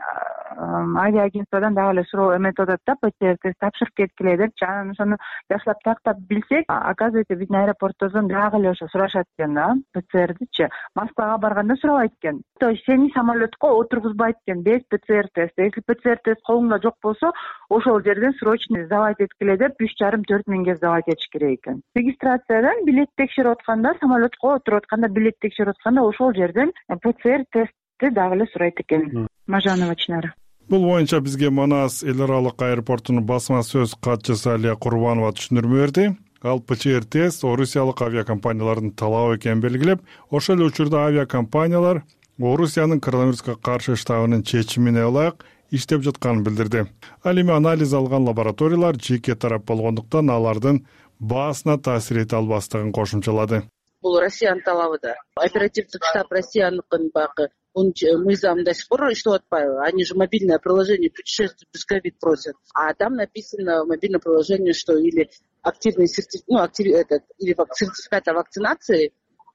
авиаагентстводан дагы эле суроо эметип атат да, ПЦР тест тапшырып кеткиле депчи. Анан ошону жакшылап тактап билсек, оказывается биздин аэропорттордон дагы эле ошо сурашат экен да, ПЦРдичи. Москвага барганда сурабайт экен. То есть сени самолетко отургузбайт экен без ПЦР теста. Если ПЦР тест колуңда жок болсо, ошол жерден срочно сдавать эткиле деп үч жарым төрт миңге сдавать этиш керек экен. Регистрациядан билет текшерип атканда, самолетко отуруп атканда, билет текшерип атканда ошол жерден ПЦР тестти дагы эле сурайт экен. Мажанова Чынара. Бул боюнча бизге Манас эл аралык аэропортунун басма сөз катчысы Алия Курбанова түшүндүрмө берди. Ал ПЧР тест орусиялык авиакомпаниялардын талабы экенин белгилеп, ошол эле учурда авиакомпаниялар Орусиянын коронавируска каршы штабынын чечимине ылайык иштеп жатканын билдирди. Ал эми анализ алган лабораториялар жеке тарап болгондуктан алардын баасына таасир эте албастыгын кошумчалады. Бул Россиянын талабы да. Оперативдик штаб Россияныкын багы мыйзам до сих пор иштеп атпайбы? Они же мобильное приложение путешествий без ковид просят. А там написано в мобильном приложении, что или активный сертификат, ну, актив, этот, или сертификат о вакцинации,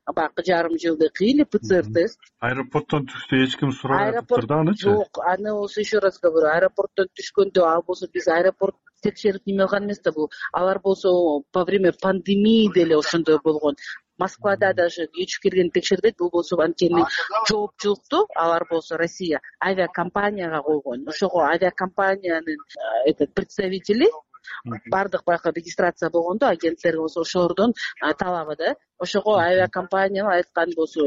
бакы жарым жылдык, или ПЦР тест. Аэропорттон түштү эч ким сурабайт турду анычы? Жок, аны болсо еще раз говорю, аэропорттон түшкөндө, ал болсо биз аэропорт текшерип неме кылган эмес да бул. Алар болсо во время пандемии деле ошондой болгон. Москвада даже кечип келген текшербейт, бул болсо анткени жоопчулукту алар болсо Россия авиакомпанияга койгон. Ошого авиакомпаниянын этот представители бардык байка регистрация болгондо агенттерге болсо ошолордон талабы да. Ошого авиакомпания айткан болсо,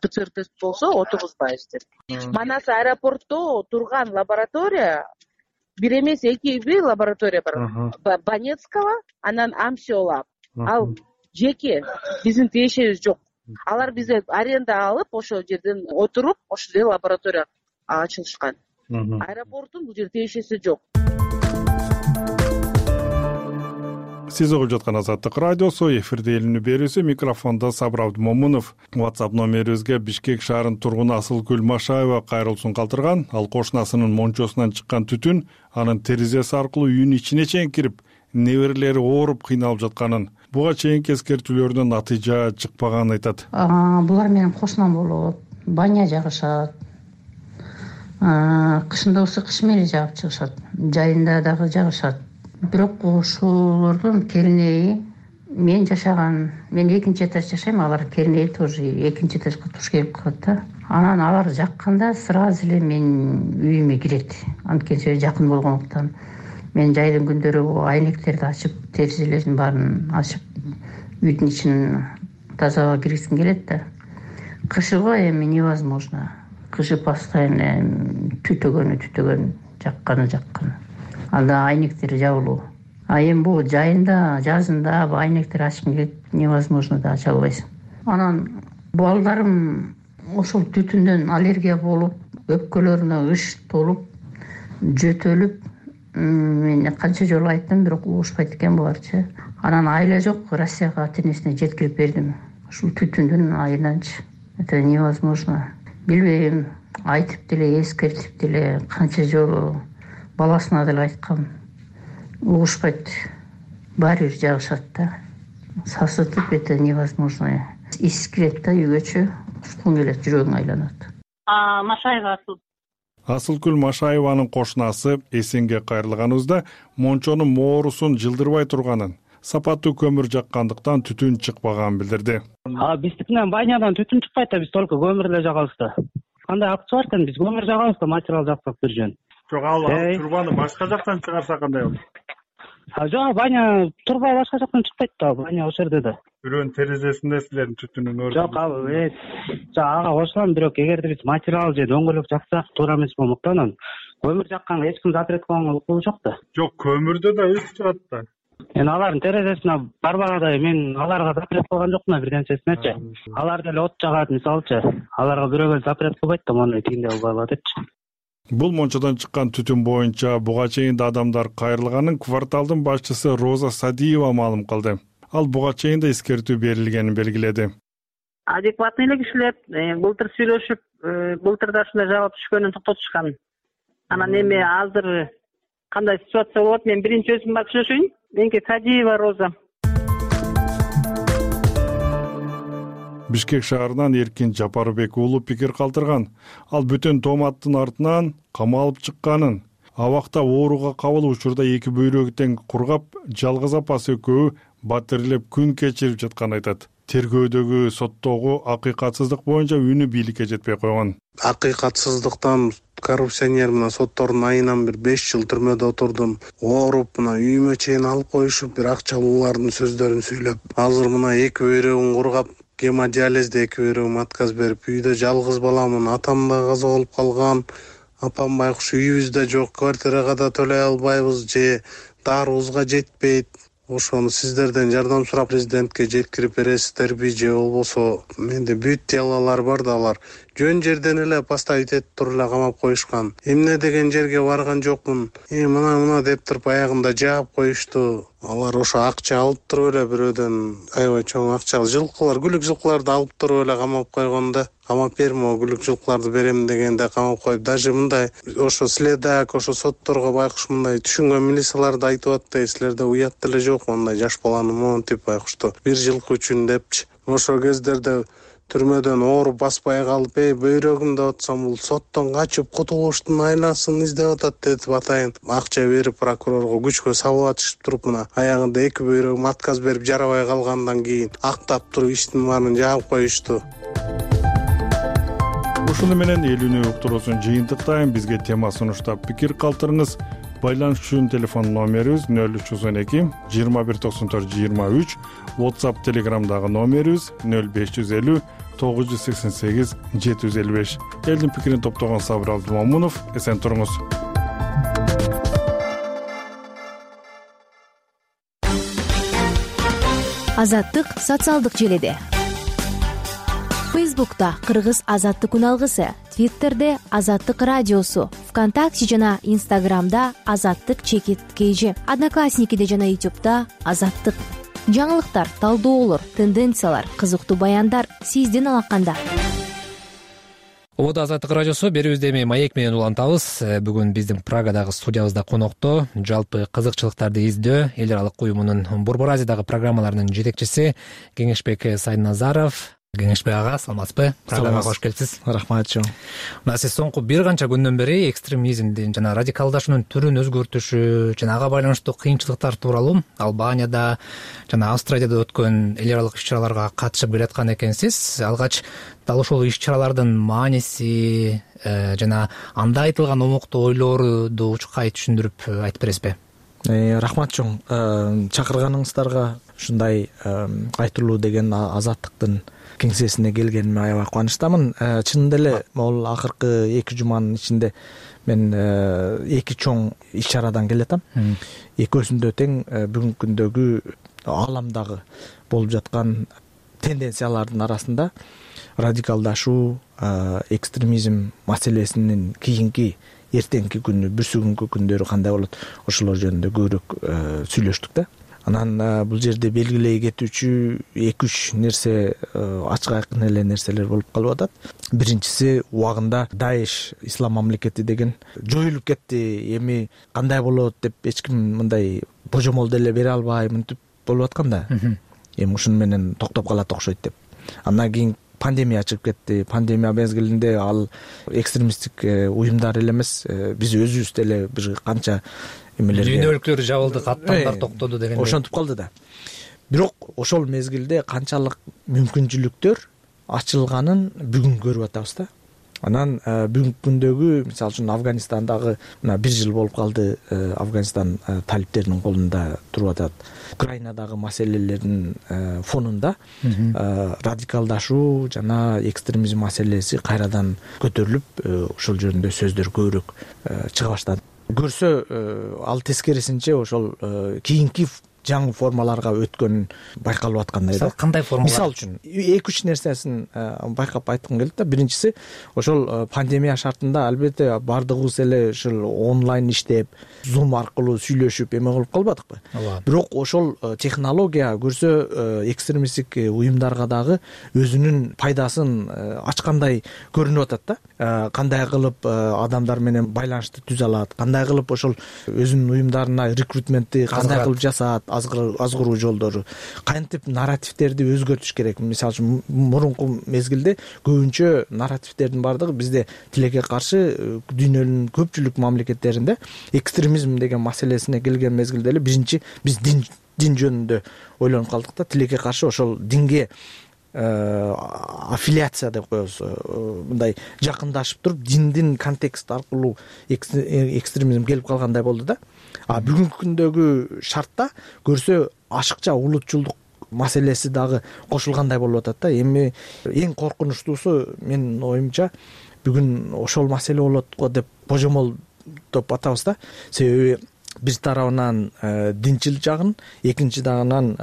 ПЦР тест болсо отургузбайбыз деп. Манас аэропортто турган лаборатория бир эмес экиби лаборатория бар. Банецкого, анан Амсиола. Ал жеке, биздин тиешебиз жок. Алар бизге аренда алып, ошол жерден отуруп, ошол жерде лаборатория ачылышкан. Аэропорттун бул жерде тиешеси жок. Сиз угуп жаткан Азаттык радиосу, эфирде эл үнү берүүсү, микрофондо Сабыр Абдымомунов. WhatsApp номерибизге Бишкек шаарынын тургуну Асылкүл Машаева кайрылуусун калтырган. Ал кошунасынын мончосунан чыккан түтүн анын терезеси аркылуу үйүнүн ичине чейин кирип, неберелери ооруп кыйналып жатканын, буга чейинки эскертүүлөрдөн натыйжа чыкпаганын айтат. Булар менин кошунам болот, баня жагышат. Кышында ысык кыш менен жагып чыгышат, жайында дагы жагышат. Бирок ошолордун кернеи мен жашаган, мен экинчи этаж жашайм, алар кернеи тоже экинчи этажга туш келип калат да. Анан алар жакканда сразу эле мен үйүмө кирет. Анткени жакын болгондуктан мен жайдын күндөрү айнектерди ачып, терезелердин баарын ачып, үйдүн ичин тазалап киргизгим келет да. Кышыгы эми невозможно. Кышы постоянно түтөгөнү түтөгөн, жакканы жакканы. Анда айнектер жабылуу. А эми бул жайында, жазында бул айнектер ачкың келет, невозможно да ача албайсың. Анан балдарым ошол түтүндөн аллергия болуп, өпкөлөрүнө ыш толуп, жөтөлүп, мен канча жолу айттым, бирок угушпайт экен буларчы. Анан айла жок, Россияга ата-энесине жеткирип бердим. Ушул түтүндүн айынан,чы это невозможно. Билбейм, айтып деле, эскертип деле, канча жолу баласына деле айткам. Угушпайт. Баары бир жагышат да. Сасытып, это невозможно. Ис кирет да үйгөчү, ушкун келет, жүрөгүң айланат. А Машаева Асыл. Асылкүл Машаеванын кошунасы эсенге кайрылганыбызда мончонун моорусун жылдырбай турганын, сапаттуу көмүр жаккандыктан түтүн чыкпаганын билдирди. А биздикинен банядан түтүн чыкпайт да, биз только көмүр эле жагабыз да. Кандай акчы бар экен, биз көмүр жагабыз да, материал жаксак бир жөн. Жок, ал турбаны башка жактан чыгарса кандай болот? Жок, баня турба башка жактан чыкпайт да, баня ошол жерде да. Бирөөнүн терезесинде силердин түтүнүн өрү. Жок, ал ага кошулам, бирок эгерде биз материал же дөңгөлөк жаксак туура эмес болмоктон көмүр жакканга эч ким запрет кылган укугу жок да. Жок, көмүрдө да ыш чыгат да. Мен алардын терезесине барбагандай мен аларга запрет кылган жокмун бир нерсесинечи. Алар деле от жагат, мисалычы. Аларга бирөөгө запрет кылбайт да, мону тигиндей албайла депчи. Бул мончодон чыккан түтүн боюнча буга чейин да адамдар кайрылганын кварталдын башчысы Роза Садиева маалым кылды. Ал буга чейин да эскертүү берилгенин белгиледи. Адекватный эле кишилер былтыр сүйлөшүп, былтыр да ушундай жагып түшкөнүн токтотушкан. Анан эми азыр кандай ситуация болот, мен биринчи өзүм барып сүйлөшөйүн. Меники Садиева Роза. Бишкек шаарынан Эркин Жапарбек уулу пикир калтырган. Ал бүтүн тооматтын артынан камалып чыкканын, абакта ооруга кабыл учурда эки бөйрөгү тең кургап, жалгыз апасы экөө батирлеп күн кечирип жатканын айтат. Тергөөдөгү соттогу акыйкатсыздык боюнча үнү бийликке жетпей койгон. Акыйкатсыздыктан коррупционер мына соттордун айынан бир беш жыл түрмөдө отурдум. Ооруп мына үйүмө чейин алып коюшуп, бир акчалуулардын сөздөрүн сүйлөп, азыр мына эки бөйрөгүн кургап, гемодиализде эки бөйрөгүм отказ берип, үйдө жалгыз баламын, атам да каза болуп калган, апам байкуш үйүбүздө жок, квартирага да төлөй албайбыз же дарыбызга жетпейт. Ошону сиздерден жардам сурап президентке жеткирип бересиздерби же болбосо менде бүт делалар бар да, алар жөн жерден эле поставить этип туруп эле камап коюшкан. Эмне деген жерге барган жокмун. Э мына мына деп туруп аягында жаап коюшту. Алар ошо акча алып туруп эле бирөөдөн аябай чоң акча, жылкылар, күлүк жылкыларды алып туруп эле камап койгон да. Камап берме, күлүк жылкыларды берем дегенде камап коюп, даже мындай ошо следак, ошо сотторго байкуш мындай түшүнгөн милициялар да айтып атты, силерде уят деле жок, мындай жаш баланы монтип байкушту бир жылкы үчүн депчи. Ошол кездерде түрмөдөн ооруп баспай калып, эй бөйрөгүм деп атсам, бул соттон качып кутулуштун айласын издеп атат деп атайын. Акча берип прокурорго күчкө салып атышып туруп, мына аягында эки бөйрөгүм отказ берип жарабай калгандан кийин актап туруп иштин баарын жаап коюшту. Ушуну менен эл үнү уктуруусун жыйынтыктайм. Бизге тема сунуштап пикир калтырыңыз. Байланыш үчүн телефон номерибиз нөл үч жүз он эки жыйырма бир токсон төрт жыйырма үч, WhatsApp, Telegramдагы номерибиз нөл беш жүз элүү тогуз жүз сексен сегиз жети жүз элүү беш. Элдин пикирин топтогон Сабыр Абдымомунов, эсен туруңуз. Азаттык социалдык желиде. Фейсбукта Кыргыз азаттык үналгысы, Твиттерде Азаттык радиосу, ВКонтакте жана Инстаграмда Азаттык чекит kg, Одноклассникиде жана Ютубта Азаттык. Жаңылыктар, талдоолор, тенденциялар, кызыктуу баяндар сиздин алаканда. Ободо Азаттык радиосу, берүүбүздө эми маек менен улантабыз. Бүгүн биздин Прагадагы студиябызда конокто жалпы кызыкчылыктарды издөө эл аралык уюмунун Борбор Азиядагы программаларынын жетекчиси Кеңешбек Сайназаров. Кеңешбек ага, саламатсызбы? Программага кош келипсиз. Рахмат чоң. Мына сиз соңку бир канча күндөн бери экстремизмдин жана радикалдашуунун түрүн өзгөртүшү жана ага байланыштуу кыйынчылыктар тууралуу Албанияда жана Австриядада өткөн эл аралык иш-чараларга катышып келаткан экенсиз. Алгач дал ошол иш-чаралардын мааниси жана анда айтылган омоктуу ойлорду учкай түшүндүрүп айтып бересизби? Рахмат чоң. Чакырганыңыздарга ушундай айтылуу деген Азаттыктын кеңсесине келгениме аябай кубанычтамын. Чынында эле могул акыркы эки жуманын ичинде мен эки чоң иш-чарадан келатам. Экөөсүндө тең бүгүнкү күндөгү ааламдагы болуп жаткан тенденциялардын арасында радикалдашуу, экстремизм маселесинин кийинки эртеңки күнү, бүрсүгүнкү күндөрү кандай болот, ошолор жөнүндө көбүрөөк сүйлөштүк да. Анан бул жерде белгилей кетүүчү эки үч нерсе, ачык айкын эле нерселер болуп калып атат. Биринчиси, убагында Даиш ислам мамлекети деген жоюлуп кетти, эми кандай болот деп эч ким мындай божомол деле бере албай мынтип болуп аткан да. Эми ушуну менен токтоп калат окшойт деп. Андан кийин пандемия чыгып кетти. Пандемия мезгилинде ал экстремисттик уюмдар эле эмес, биз өзүбүз деле бир канча эмелерге дүйнө өлкөлөр жабылды, каттамдар токтоду дегендей ошентип калды да. Бирок ошол мезгилде канчалык мүмкүнчүлүктөр ачылганын бүгүн көрүп атабыз да. Анан бүгүнкү күндөгү, мисалы үчүн Афганистандагы мына бир жыл болуп калды, Афганистан талиптеринин колунда туруп атат. Украинадагы маселелердин фонунда радикалдашуу жана экстремизм маселеси кайрадан көтөрүлүп, ошол жөнүндө сөздөр көбүрөөк чыга баштады. Көрсө, ал тескерисинче ошол кийинки жаңы формаларга өткөнүн байкалып аткандай да. Кандай формалар? Мисалы үчүн эки үч нерсесин байкап айткым келет да. Биринчиси, ошол пандемия шартында албетте бардыгыбыз эле ушул онлайн иштеп, Zoom аркылуу сүйлөшүп эме кылып калбадыкпы? Бирок ошол технология көрсө экстремисттик уюмдарга дагы өзүнүн пайдасын ачкандай көрүнүп атат да. Кандай кылып адамдар менен байланышты түзө алат, кандай кылып ошол өзүнүн уюмдарына рекрутментти кандай кылып жасаат, азгыруу жолдору, кантип нарративтерди өзгөртүш керек. Мисалы үчүн мурунку мезгилде көбүнчө нарративтердин бардыгы бизде тилекке каршы дүйнөнүн көпчүлүк мамлекеттеринде экстремизм деген маселесине келген мезгилде эле биринчи биз дин дин жөнүндө ойлонуп калдык да. Тилекке каршы ошол динге аффилиация деп коебуз, мындай жакындашып туруп диндин контекст аркылуу экстремизм келип калгандай болду да. А бүгүнкү күндөгү шартта көрсө ашыкча улутчулдук маселеси дагы кошулгандай болуп атат да. Эми эң коркунучтуусу менин оюмча бүгүн ошол маселе болот го деп божомолдоп атабыз да. Себеби бир тарабынан динчил жагын, экинчи жагынан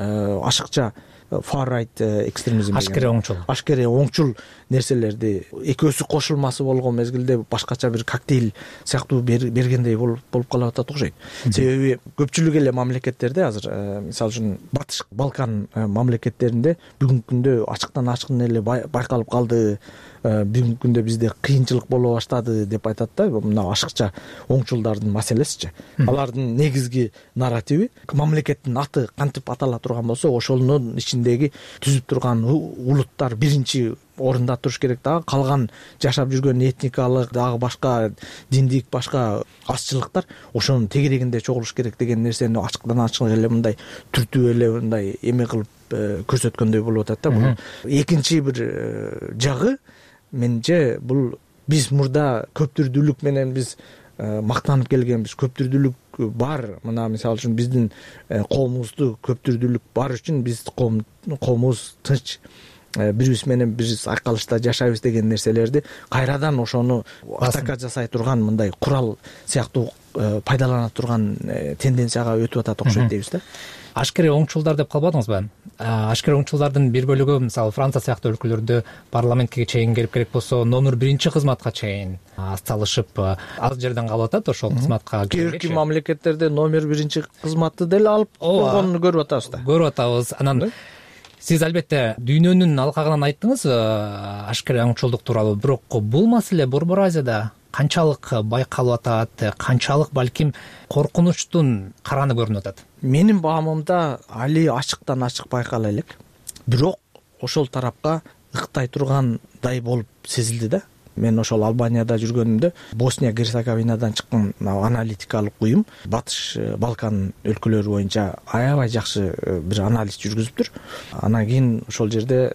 ашыкча far right экстремизм, ашкере оңчул ашкере оңчул нерселерди экөөсү кошулмасы болгон мезгилде башкача бир коктейль сыяктуу бергендей болуп болуп калып атат окшойт. Себеби көпчүлүк эле мамлекеттерде азыр, мисалы үчүн Батыш Балкан мамлекеттеринде бүгүнкү күндө ачыктан ачык эле байкалып калды. Бүгүнкү күндө бизде кыйынчылык боло баштады деп айтат да. Мына ашыкча оңчулдардын маселесичи. Алардын негизги нарративи мамлекеттин аты кантип атала турган болсо, ошонун ичиндеги түзүп турган улуттар биринчи орунда туруш керек дагы, калган жашап жүргөн этникалык дагы башка диндик башка азчылыктар ошонун тегерегинде чогулуш керек деген нерсени ачыктан ачык эле мындай түртүп эле мындай эме кылып көрсөткөндөй болуп атат да. Бул экинчи бир жагы менимче бул биз мурда көптүрдүүлүк менен биз мактанып келгенбиз. Көптүрдүүлүк бар. Мына мисалы үчүн биздин коомубузду көптүрдүүлүк бар үчүн биз коомубуз тынч биз менен биз айкалышта жашайбыз деген нерселерди кайрадан ошону атака жасай турган мындай курал сыяктуу пайдалана турган тенденцияга өтүп атат окшойт дейбиз да. Ашкере оңчулдар деп калбадыңызбы? ашкер оңчулдардын бир бөлүгү мисалы Франция сыяктуу өлкөлөрдө парламентке чейин келип керек болсо номер биринчи кызматка чейин салышып ал жерден калып атат ошол кызматка. Кээ бирки мамлекеттерде номер биринчи кызматты деле алып койгонун көрүп атабыз да. Көрүп атабыз. Анан сиз албетте дүйнөнүн алкагынан айттыңыз ашкер оңчулдук тууралуу, бирок бул маселе Борбор Азияда канчалык байкалып атат, канчалык балким коркунучтун караны көрүнүп атат? Менин баамымда али ачыктан ачык байкала элек, бирок ошол тарапка ыктай тургандай болуп сезилди да. Мен ошол Албанияда жүргөнүмдө Босния Герцеговинадан чыккан аналитикалык уюм Батыш Балкан өлкөлөрү боюнча аябай жакшы бир анализ жүргүзүптүр. Анан кийин ошол жерде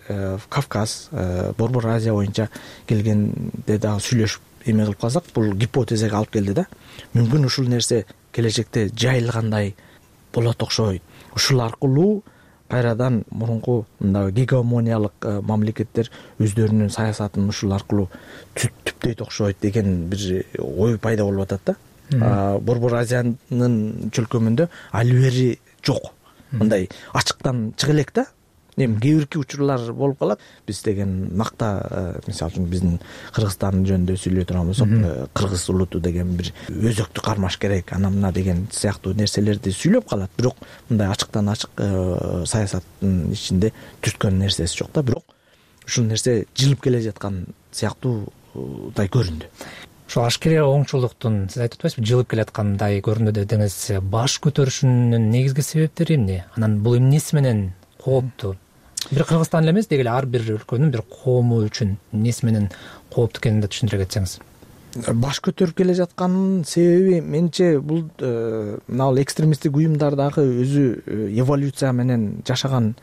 Кавказ, Борбор Азия боюнча келгенде дагы сүйлөшүп эме кылып калсак, бул гипотезага алып келди да. Мүмкүн ушул нерсе келечекте жайылгандай болот окшойт. Ушул аркылуу кайрадан мурунку мындай гегемониялык мамлекеттер өздөрүнүн саясатын ушул аркылуу түптөйт окшойт деген бир ой пайда болуп атат да. Борбор Азиянын чөлкөмүндө али бери жок. Мындай ачыктан чыга элек да. Эми кээ бирки учурлар болуп калат. Биз деген макта, мисалы үчүн биздин Кыргызстан жөнүндө сүйлөй турган болсок, кыргыз улуту деген бир өзөктү кармаш керек, ана мына деген сыяктуу нерселерди сүйлөп калат. Бирок мындай ачыктан ачык саясаттын ичинде түзгөн нерсеси жок да. Бирок ушул нерсе жылып келе жаткан сыяктуудай көрүндү. Ошол ашкер оңчулдуктун сиз айтып атпайсызбы, жылып келаткандай көрүндү дедиңиз. Баш көтөрүшүнүн негизги себептери эмне? Анан бул эмнеси менен кооптуу? Бир Кыргызстан эле эмес, деги эле ар бир өлкөнүн бир коому үчүн эмнеси менен кооптуу экенин да түшүндүрө кетсеңиз. Баш көтөрүп келе жатканын себеби менимче бул мына экстремисттик уюмдар дагы өзү эволюция менен жашаган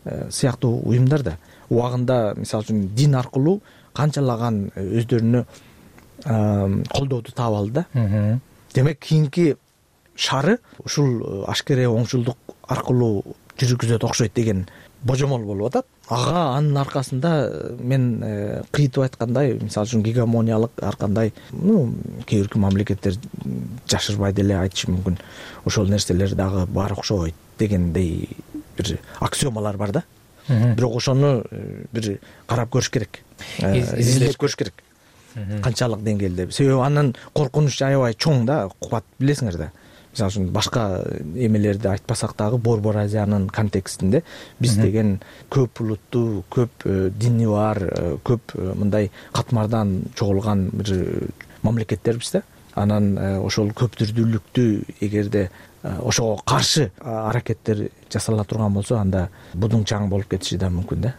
сыяктуу уюмдар да. Убагында мисалы үчүн дин аркылуу канчалаган өздөрүнө колдооду таап алды да. Демек кийинки шары ушул ашкер оңчулдук аркылуу жүргүзөт окшойт деген божомол болуп атат. Ага анын аркасында мен кыйтып айткандай, мисалы үчүн гегемониялык ар кандай, ну, кээ бирки мамлекеттер жашырбай деле айтышы мүмкүн. Ошол нерселер дагы бар окшойт дегендей бир аксиомалар бар да. Бирок ошону бир карап көрүш керек, изилдеп көрүш керек. Канчалык деңгээлде. Себеби анын коркунучу аябай чоң да, кубат, билесиңер да. Мисалы үчүн башка эмелерди айтпасак дагы Борбор Азиянын контекстинде биз деген көп улуттуу, көп дини бар, көп мындай катмардан чогулган бир мамлекеттербиз да. Анан ошол көптүрдүүлүктү эгерде ошого каршы аракеттер жасала турган болсо, анда будуң чаң болуп кетиши да мүмкүн да.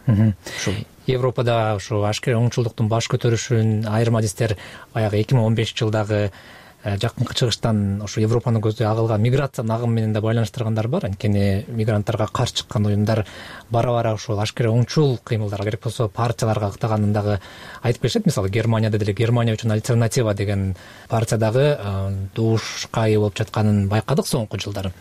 Ошол Европада ошо ашкер оңчулдуктун баш көтөрүшүн айрым адистер баягы эки миң он бешинчи жылдагы жакынкы чыгыштан ошо Европанын көзү агылган миграциянын агымы менен да байланыштыргандар бар. Анткени мигранттарга каршы чыккан уюмдар бара-бара ошол ашкер оңчул кыймылдарга, керек болсо партияларга ыктаганын дагы айтып келишет. Мисалы Германияда деле Германия үчүн альтернатива деген партия дагы дуушка ээ болуп жатканын байкадык соңку жылдары.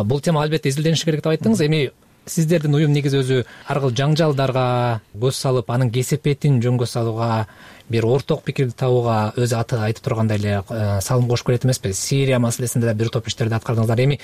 Бул тема албетте изилдениши керек деп айттыңыз. Эми сиздердин уюм негизи өзү ар кыл жаңжалдарга көз салып, анын кесепетин жөнгө салууга, бир орток пикирди табууга өзү аты айтып тургандай эле салым кошуп келет эмеспи? Сирия маселесинде да бир топ иштерди аткардыңыздар. Эми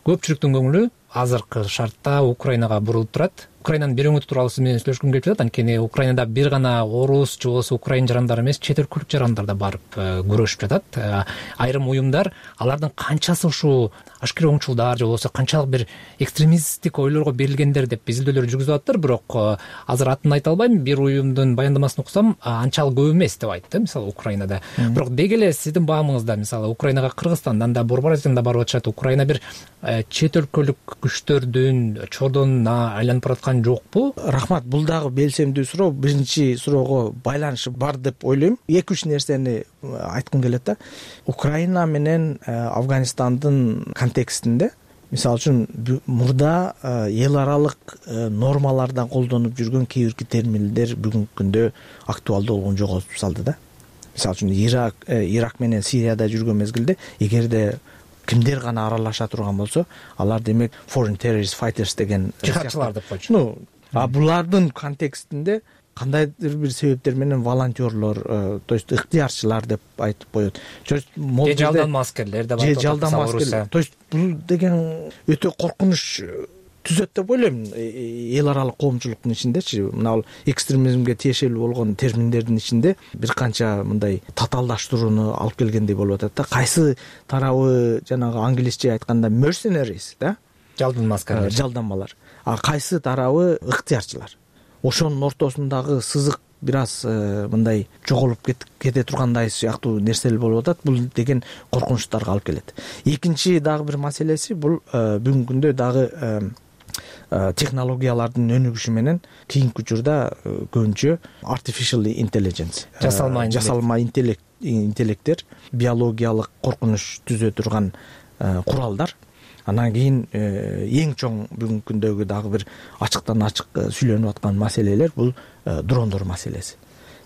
көпчүлүктүн көңүлү азыркы шартта Украинага бурулуп турат. Украинанын берүүңүтү тууралуу сиз менен сүйлөшкүм келип жатат. Анткени Украинада бир гана орус же болбосо украин жарандары эмес, чет өлкөлүк жарандар да барып күрөшүп жатат. Айрым уюмдар алардын канчасы ушул ашкер оңчулдар же болбосо канчалык бир экстремисттик ойлорго берилгендер деп изилдөөлөр жүргүзүп атыптыр. Бирок азыр атын айта албайм, бир уюмдун баяндамасын окусам анчалык көп эмес деп айтты, мисалы Украинада. Бирок деги эле сиздин баамыңызда, мисалы Украинага Кыргызстандан да, Борбор Азиядан да барып атышат. Украина бир чет өлкөлүк күчтөрдүн чордонуна айланып бараткан жокпу? Рахмат, бул дагы белсемдүү суроо. Биринчи суроого байланышы бар деп ойлойм. эки үч нерсени айткым келет да. Украина менен Афганистандын контекстинде, мисалы үчүн мурда эл аралык нормалардан колдонуп жүргөн кээ бирки терминдер бүгүнкү күндө актуалдуу болгон жоготуп салды да. Мисалы үчүн Ирак, Ирак менен Сирияда жүргөн мезгилде эгерде кимдер гана аралаша турган болсо, алар демек foreign terrorist fighters деген жихадчылар деп койчу. Ну, а булардын контекстинде кандайдыр бир себептер менен волонтерлор, то есть ыктыярчылар деп айтып коет. Же жалданма аскерлер деп айтып коет. Же жалданма аскерлер. То есть бул деген өтө коркунуч түзөт деп ойлойм. Эл аралык коомчулуктун ичиндечи мына экстремизмге тиешелүү болгон терминдердин ичинде бир канча мындай татаалдаштырууну алып келгендей болуп атат да. Кайсы тарабы жанагы англисче айтканда mercenaries да, жалдан аскерлер, жалданмалар, а кайсы тарабы ыктыярчылар. Ошонун ортосундагы сызык бир аз мындай жоголуп кете тургандай сыяктуу нерселер болуп атат. Бул деген коркунучтарга алып келет. Экинчи дагы бир маселеси бул бүгүнкү күндө дагы технологиялардын өнүгүшү менен кийинки учурда көбүнчө artificial intelligence, жасалма жасалма интеллекттер, биологиялык коркунуч түзө турган куралдар. Анан кийин эң чоң бүгүнкү күндөгү дагы бир ачыктан ачык сүйлөнүп аткан маселелер бул дрондор маселеси.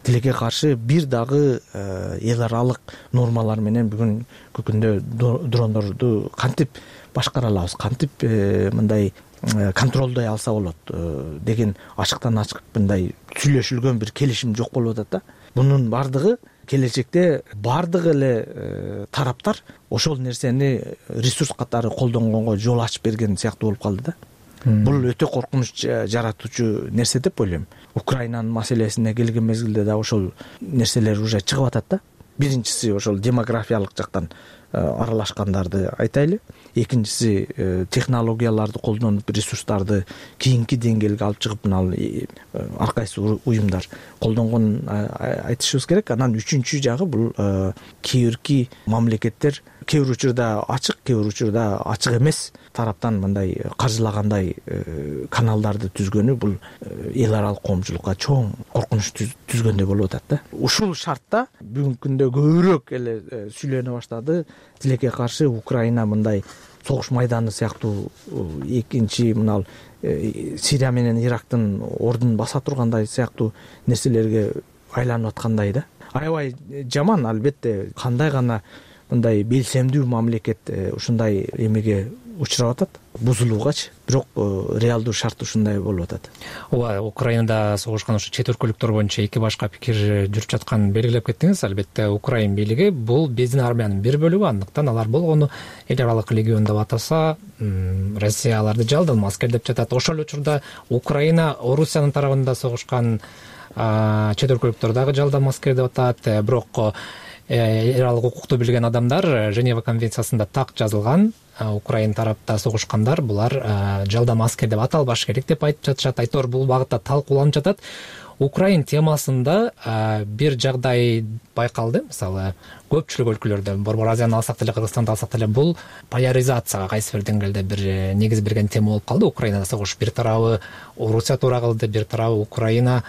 Тилекке каршы бир дагы эл аралык нормалар менен бүгүнкү күндө дрондорду кантип башкара алабыз, кантип мындай контролдой алса болот деген ачыктан ачык мындай сүйлөшүлгөн бир келишим жок болуп атат да. Бунун бардыгы келечекте бардык эле тараптар ошол нерсени ресурс катары колдонгонго жол ачып берген сыяктуу болуп калды да. Бул өтө коркунуч жаратуучу нерсе деп ойлойм. Украинанын маселесине келген мезгилде да ошол нерселер уже чыгып атат да. Биринчиси ошол демографиялык жактан аралашкандарды айтайлы. Экинчиси технологияларды колдонуп ресурстарды кийинки деңгээлге алып чыгып мына ар кайсы уюмдар колдонгонун айтышыбыз керек. Анан үчүнчү жагы бул кээ бирки мамлекеттер кээ бир учурда ачык, кээ бир учурда ачык эмес тараптан мындай каржылагандай каналдарды түзгөнү бул эл аралык коомчулукка чоң коркунуч түзгөндөй болуп атат да. Ушул шартта бүгүнкү күндө көбүрөөк эле сүйлөнө баштады. Тилекке каршы Украина мындай согуш майданы сыяктуу экинчи мына Сирия менен Ирактын ордун баса тургандай сыяктуу нерселерге айланып аткандай да. Аябай жаман, албетте кандай гана мындай белсемдүү мамлекет ушундай эмеге учурап атат, бузулуугачы, бирок реалдуу шарт ушундай болуп атат. Ооба, Украинада согушкан ошо чет өлкөлүктөр боюнча эки башка пикир жүрүп жатканын белгилеп кеттиңиз. Албетте Украин бийлиги бул биздин армиянын бир бөлүгү, андыктан алар болгону эл аралык легион деп атаса, Россия аларды жалданма аскер деп жатат. Ошол учурда Украина Орусиянын тарабында согушкан чет өлкөлүктөр дагы жалданма аскер деп атат. Бирок эл аралык укукту билген адамдар Женева конвенциясында так жазылган, Украин тарапта согушкандар булар жалдама аскер деп аталбаш керек деп айтып жатышат. Айтор бул багытта талкууланып жатат. Украин темасында бир жагдай байкалды. Мисалы, көпчүлүк өлкөлөрдө, Борбор Азияны алсак деле, Кыргызстанды алсак деле, бул поляризацияга кайсы бир деңгээлде бир негиз берген тема болуп калды. Украинада согуш бир тарабы Орусия туура кылды, бир тарабы Украинаны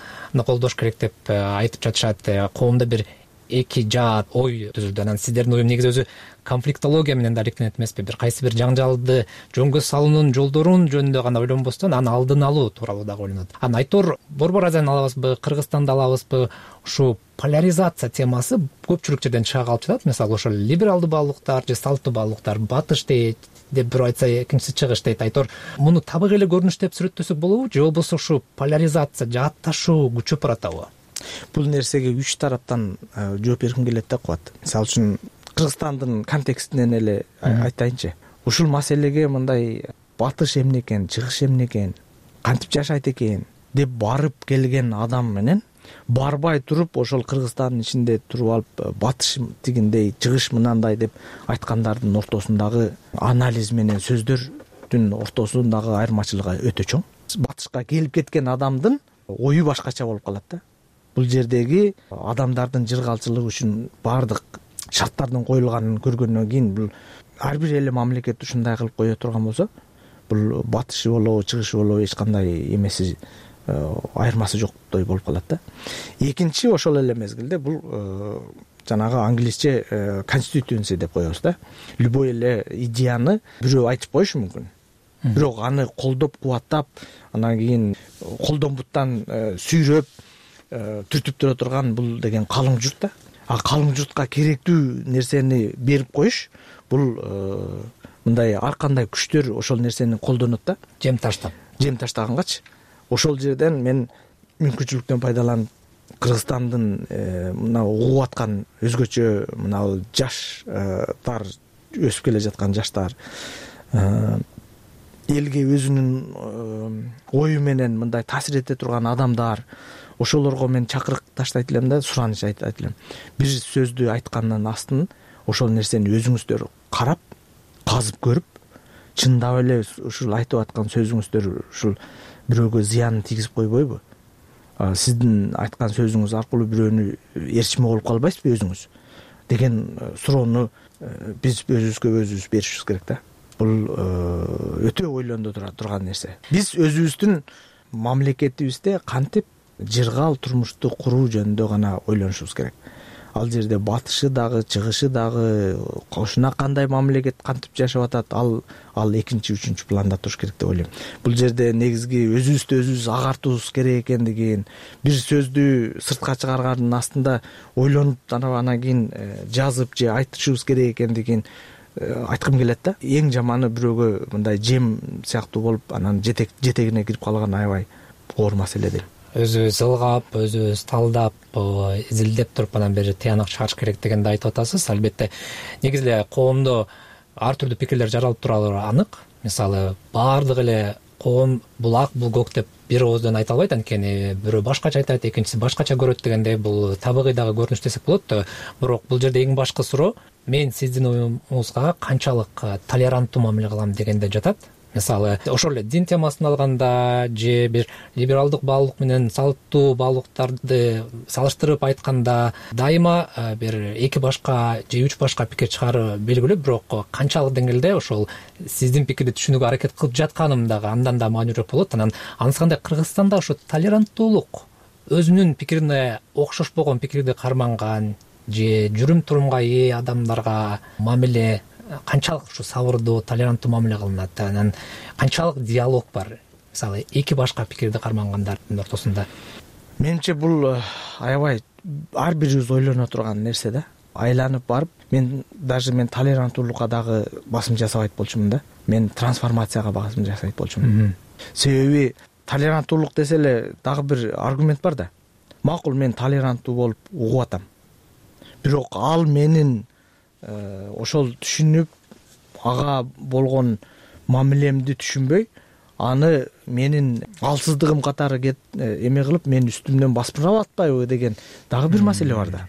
колдош керек деп айтып жатышат. Коомдо бир эки жаат ой түзүлдү. Анан сиздердин оюң негизи өзү конфликтология менен да алектенет эмеспи? Бир кайсы бир жаңжалды жөнгө салуунун жолдорун жөнүндө гана ойлонбостон, аны алдын алуу тууралуу дагы ойлонот. Анан айтор Борбор Азияны алабызбы, Кыргызстанды алабызбы? Ушу поляризация темасы көпчүлүк жерден чыга калып жатат. Мисалы, ошол либералдуу баалуулуктар же салттуу баалуулуктар батыш дейт деп бирөө айтса, экинчиси чыгыш дейт. Айтор муну табык эле көрүнүш деп сүрөттөсөк болобу, же болбосо ушу поляризация, жаатташуу күчөп баратабы? Бул нерсеге үч тараптан жооп бергим келет да кубат. Мисалы үчүн Кыргызстандын контекстинен эле айтайынчы. Ушул маселеге мындай батыш эмне экен, чыгыш эмне экен, кантип жашайт экен деп барып келген адам менен барбай туруп ошол Кыргызстандын ичинде туруп алып батыш тигиндей, чыгыш мынандай деп айткандардын ортосундагы анализ менен сөздөрдүн ортосундагы айырмачылыгы өтө чоң. Батышка келип кеткен адамдын ою башкача болуп калат да. Бул жердеги адамдардын жыргалчылыгы үчүн баардык шарттардын коюлганын көргөндөн кийин бул ар бир эле мамлекет ушундай кылып кое турган болсо, бул батышы болобу, чыгышы болобу эч кандай эмеси, айырмасы жоктой болуп калат да. Экинчи, ошол эле мезгилде бул жанагы англисче constituency деп коебуз да. Любой эле идеяны бирөө айтып коюшу мүмкүн. Бирок аны колдоп, кубаттап, анан кийин колдонбуттан сүйрөп түртүп тура турган бул деген калың журт да. А калың журтка керектүү нерсени берип коюш, бул мындай ар кандай күчтөр ошол нерсени колдонот да. Жем таштап. Жем таштагангач, ошол жерден мен мүмкүнчүлүктөн пайдаланып Кыргызстандын мына угуп аткан өзгөчө мына жаштар, өсүп келе жаткан жаштар элге өзүнүн ою менен мындай таасир эте турган адамдар, ошолорго мен чакырык таштайт элем да, сураныч айтат элем. Бир сөздү айткандын астын ошол нерсени өзүңүздөр карап, казып көрүп, чындап эле ушул айтып аткан сөзүңүздөр ушул бирөөгө зыянын тийгизип койбойбу? Сиздин айткан сөзүңүз аркылуу бирөөнү ээрчиме болуп калбайсызбы өзүңүз деген суроону биз өзүбүзгө өзүбүз беришибиз керек да. Бул өтө ойлондура турган нерсе. Биз өзүбүздүн мамлекетибизде кантип жыргал турмушту куруу жөнүндө гана ойлонушубуз керек. Ал жерде батышы дагы, чыгышы дагы, кошуна кандай мамлекет кантип жашап атат, ал ал экинчи, үчүнчү планда туруш керек деп ойлойм. Бул жерде негизги өзүбүздү өзүбүз агартуубуз керек экендигин, бир сөздү сыртка чыгаргандын астында ойлонуп анан кийин жазып же айтышыбыз керек экендигин айткым келет да. Эң жаманы бирөөгө мындай жем сыяктуу болуп, анан жетек жетегине кирип калган аябай оор маселе дейм. Өзүбүз ылгап, өзүбүз талдап, изилдеп туруп анан бери тыянак чыгарыш керек дегенди айтып атасыз. Албетте негизи эле коомдо ар түрдүү пикирлер жаралып турары анык. Мисалы, баардык эле коом бул ак, бул көк деп бир ооздон айта албайт, анткени бирөө башкача айтат, экинчиси башкача көрөт дегендей, бул табигый дагы көрүнүш десек болот да. Бирок бул жерде эң башкы суроо мен сиздин оюңузга канчалык толеранттуу мамиле кылам дегенде жатат. Мисалы, ошол эле дин темасын алганда же бир либералдык баалуулук менен салттуу баалуулуктарды салыштырып айтканда дайыма бир эки башка же үч башка пикир чыгаруу белгилүү, бирок канчалык деңгээлде ошол сиздин пикирди түшүнүүгө аракет кылып жатканым дагы андан да маанилүүрөөк болот. Анан анысы кандай, Кыргызстанда ошо толеранттуулук, өзүнүн пикирине окшошпогон пикирди карманган же жүрүм турумга ээ адамдарга мамиле канчалык ушу сабырдуу, толеранттуу мамиле кылынат, анан канчалык диалог бар, мисалы, эки башка пикирди кармангандардын ортосунда? Менимче бул аябай ар бирибиз ойлоно турган нерсе да. Айланып барып, мен даже мен толеранттуулукка дагы басым жасабайт болчумун да. Мен трансформацияга басым жасайт болчумун. Себеби толеранттуулук десе эле дагы бир аргумент бар да. Макул, мен толеранттуу болуп угуп атам. Бирок ал менин ошол түшүнүп, ага болгон мамилемди түшүнбөй, аны менин алсыздыгым катары эме кылып, мен үстүмдөн баспырап атпайбы деген дагы бир маселе бар да.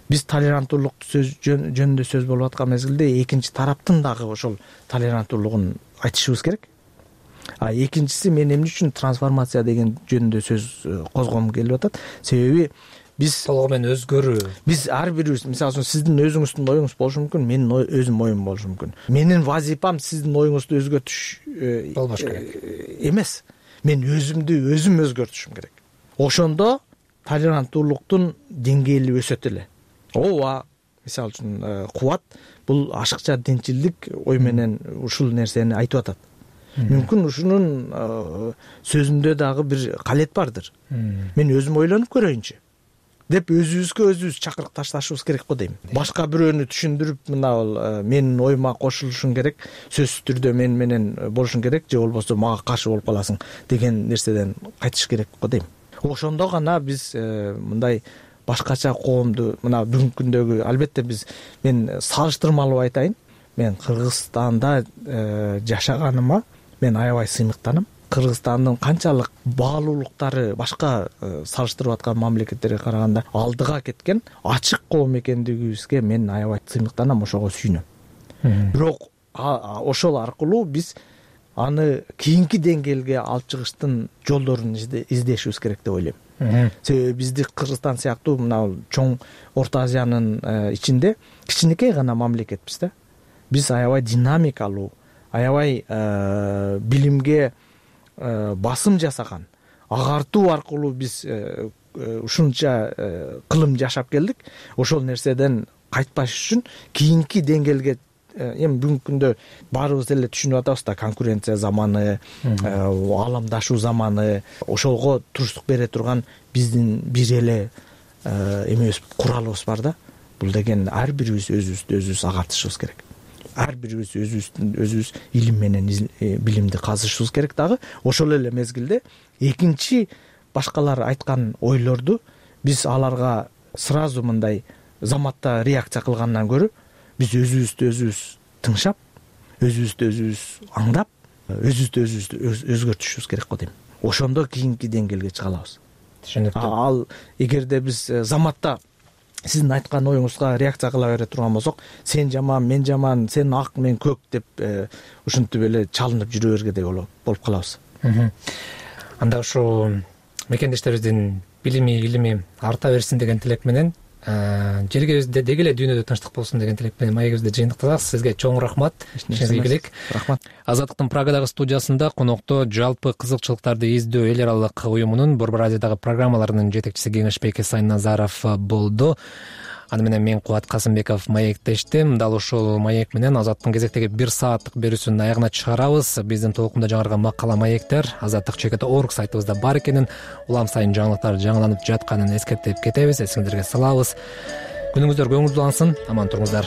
Биз толеранттуулук жөнүндө сөз болуп аткан мезгилде экинчи тараптын дагы ошол толеранттуулугун айтышыбыз керек. А экинчиси, мен эмне үчүн трансформация деген жөнүндө сөз козгогум келип атат. Себеби биз толугу менен өзгөрүү. Биз ар бирибиз, мисалы үчүн, сиздин өзүңүздүн оюңуз болушу мүмкүн, менин өзүм оюм болушу мүмкүн. Менин вазифам сиздин оюңузду өзгөртүш болбош керек эмес. Мен өзүмдү өзүм өзгөртүшүм керек. Ошондо толеранттуулуктун деңгээли өсөт эле. Ооба, мисалы үчүн, Кубат бул ашыкча динчилдик ой менен ушул нерсени айтып атат. Мүмкүн ушунун сөзүндө дагы бир калет бардыр. Мен өзүм ойлонуп көрөйүнчү деп өзүбүзгө өзүбүз чакырык ташташыбыз керек го дейм. Башка бирөөнү түшүндүрүп, мына менин оюма кошулушуң керек, сөзсүз түрдө мен менен болушуң керек, же болбосо мага каршы болуп каласың деген нерседен кайтыш керек го дейм. Ошондо гана биз мындай башкача коомду, мына бүгүнкү күндөгү, албетте биз, мен салыштырмалуу айтайын, мен Кыргызстанда жашаганыма мен аябай сыймыктанам. Кыргызстандын канчалык баалуулуктары башка салыштырып аткан мамлекеттерге караганда алдыга кеткен ачык коом экендигибизге мен аябай сыймыктанам, ошого сүйүнөм. Бирок ошол аркылуу биз аны кийинки деңгээлге алып чыгыштын жолдорун издешибиз керек деп ойлойм. Себеби бизди Кыргызстан сыяктуу мына чоң Орто Азиянын ичинде кичинекей гана мамлекетпиз да. Биз аябай динамикалуу, аябай билимге басым жасаган, агартуу аркылуу биз ушунча кылым жашап келдик. Ошол нерседен кайтпаш үчүн кийинки деңгээлге, эми бүгүнкү күндө баарыбыз эле түшүнүп атабыз да, конкуренция заманы, ааламдашуу заманы, ошого туруштук бере турган биздин бир эле эмебиз, куралыбыз бар да. Бул деген ар бирибиз өзүбүздү өзүбүз агартышыбыз керек. Ар бирибиз өзүбүздүн өзүбүз илим менен билимди казышыбыз керек дагы. Ошол эле мезгилде экинчи башкалар айткан ойлорду биз аларга сразу мындай заматта реакция кылгандан көрө, биз өзүбүздү өзүбүз тыңшап, өзүбүздү өзүбүз аңдап, өзүбүздү өзүбүз өзгөртүшүбүз керек го дейм. Ошондо кийинки деңгээлге чыга алабыз. Түшүнүктүү. Ал эгерде биз заматта сиздин айткан оюңузга реакция кыла бере турган болсок, сен жаман, мен жаман, сен ак, мен көк деп ушинтип эле чалынып жүрө бергендей болуп калабыз. Анда ушу мекендештерибиздин билими, илими арта берсин деген тилек менен, жергебизде деги эле дүйнөдө тынчтык болсун деген тилек менен маегибизди жыйынтыктасак, сизге чоң рахмат. Ишиңизге ийгилик. Рахмат. Азаттыктын Прагадагы студиясында конокто жалпы кызыкчылыктарды издөө эл аралык уюмунун Борбор Азиядагы программаларынын жетекчиси Кеңешбек Эсайназаров болду. Аны менен мен Кубат Касымбеков маектештим. Дал ушул маек менен Азаттыктын кезектеги бир сааттык берүүсүнүн аягына чыгарабыз. Биздин толкунда жаңырган макала маектер азаттык чекит точка орг сайтыбызда бар экенин, улам сайын жаңылыктар жаңыланып жатканын эскертип кетебиз. Эсиңиздерге салабыз. Күнүңүздөр көңүлдүү улансын. Аман туруңуздар.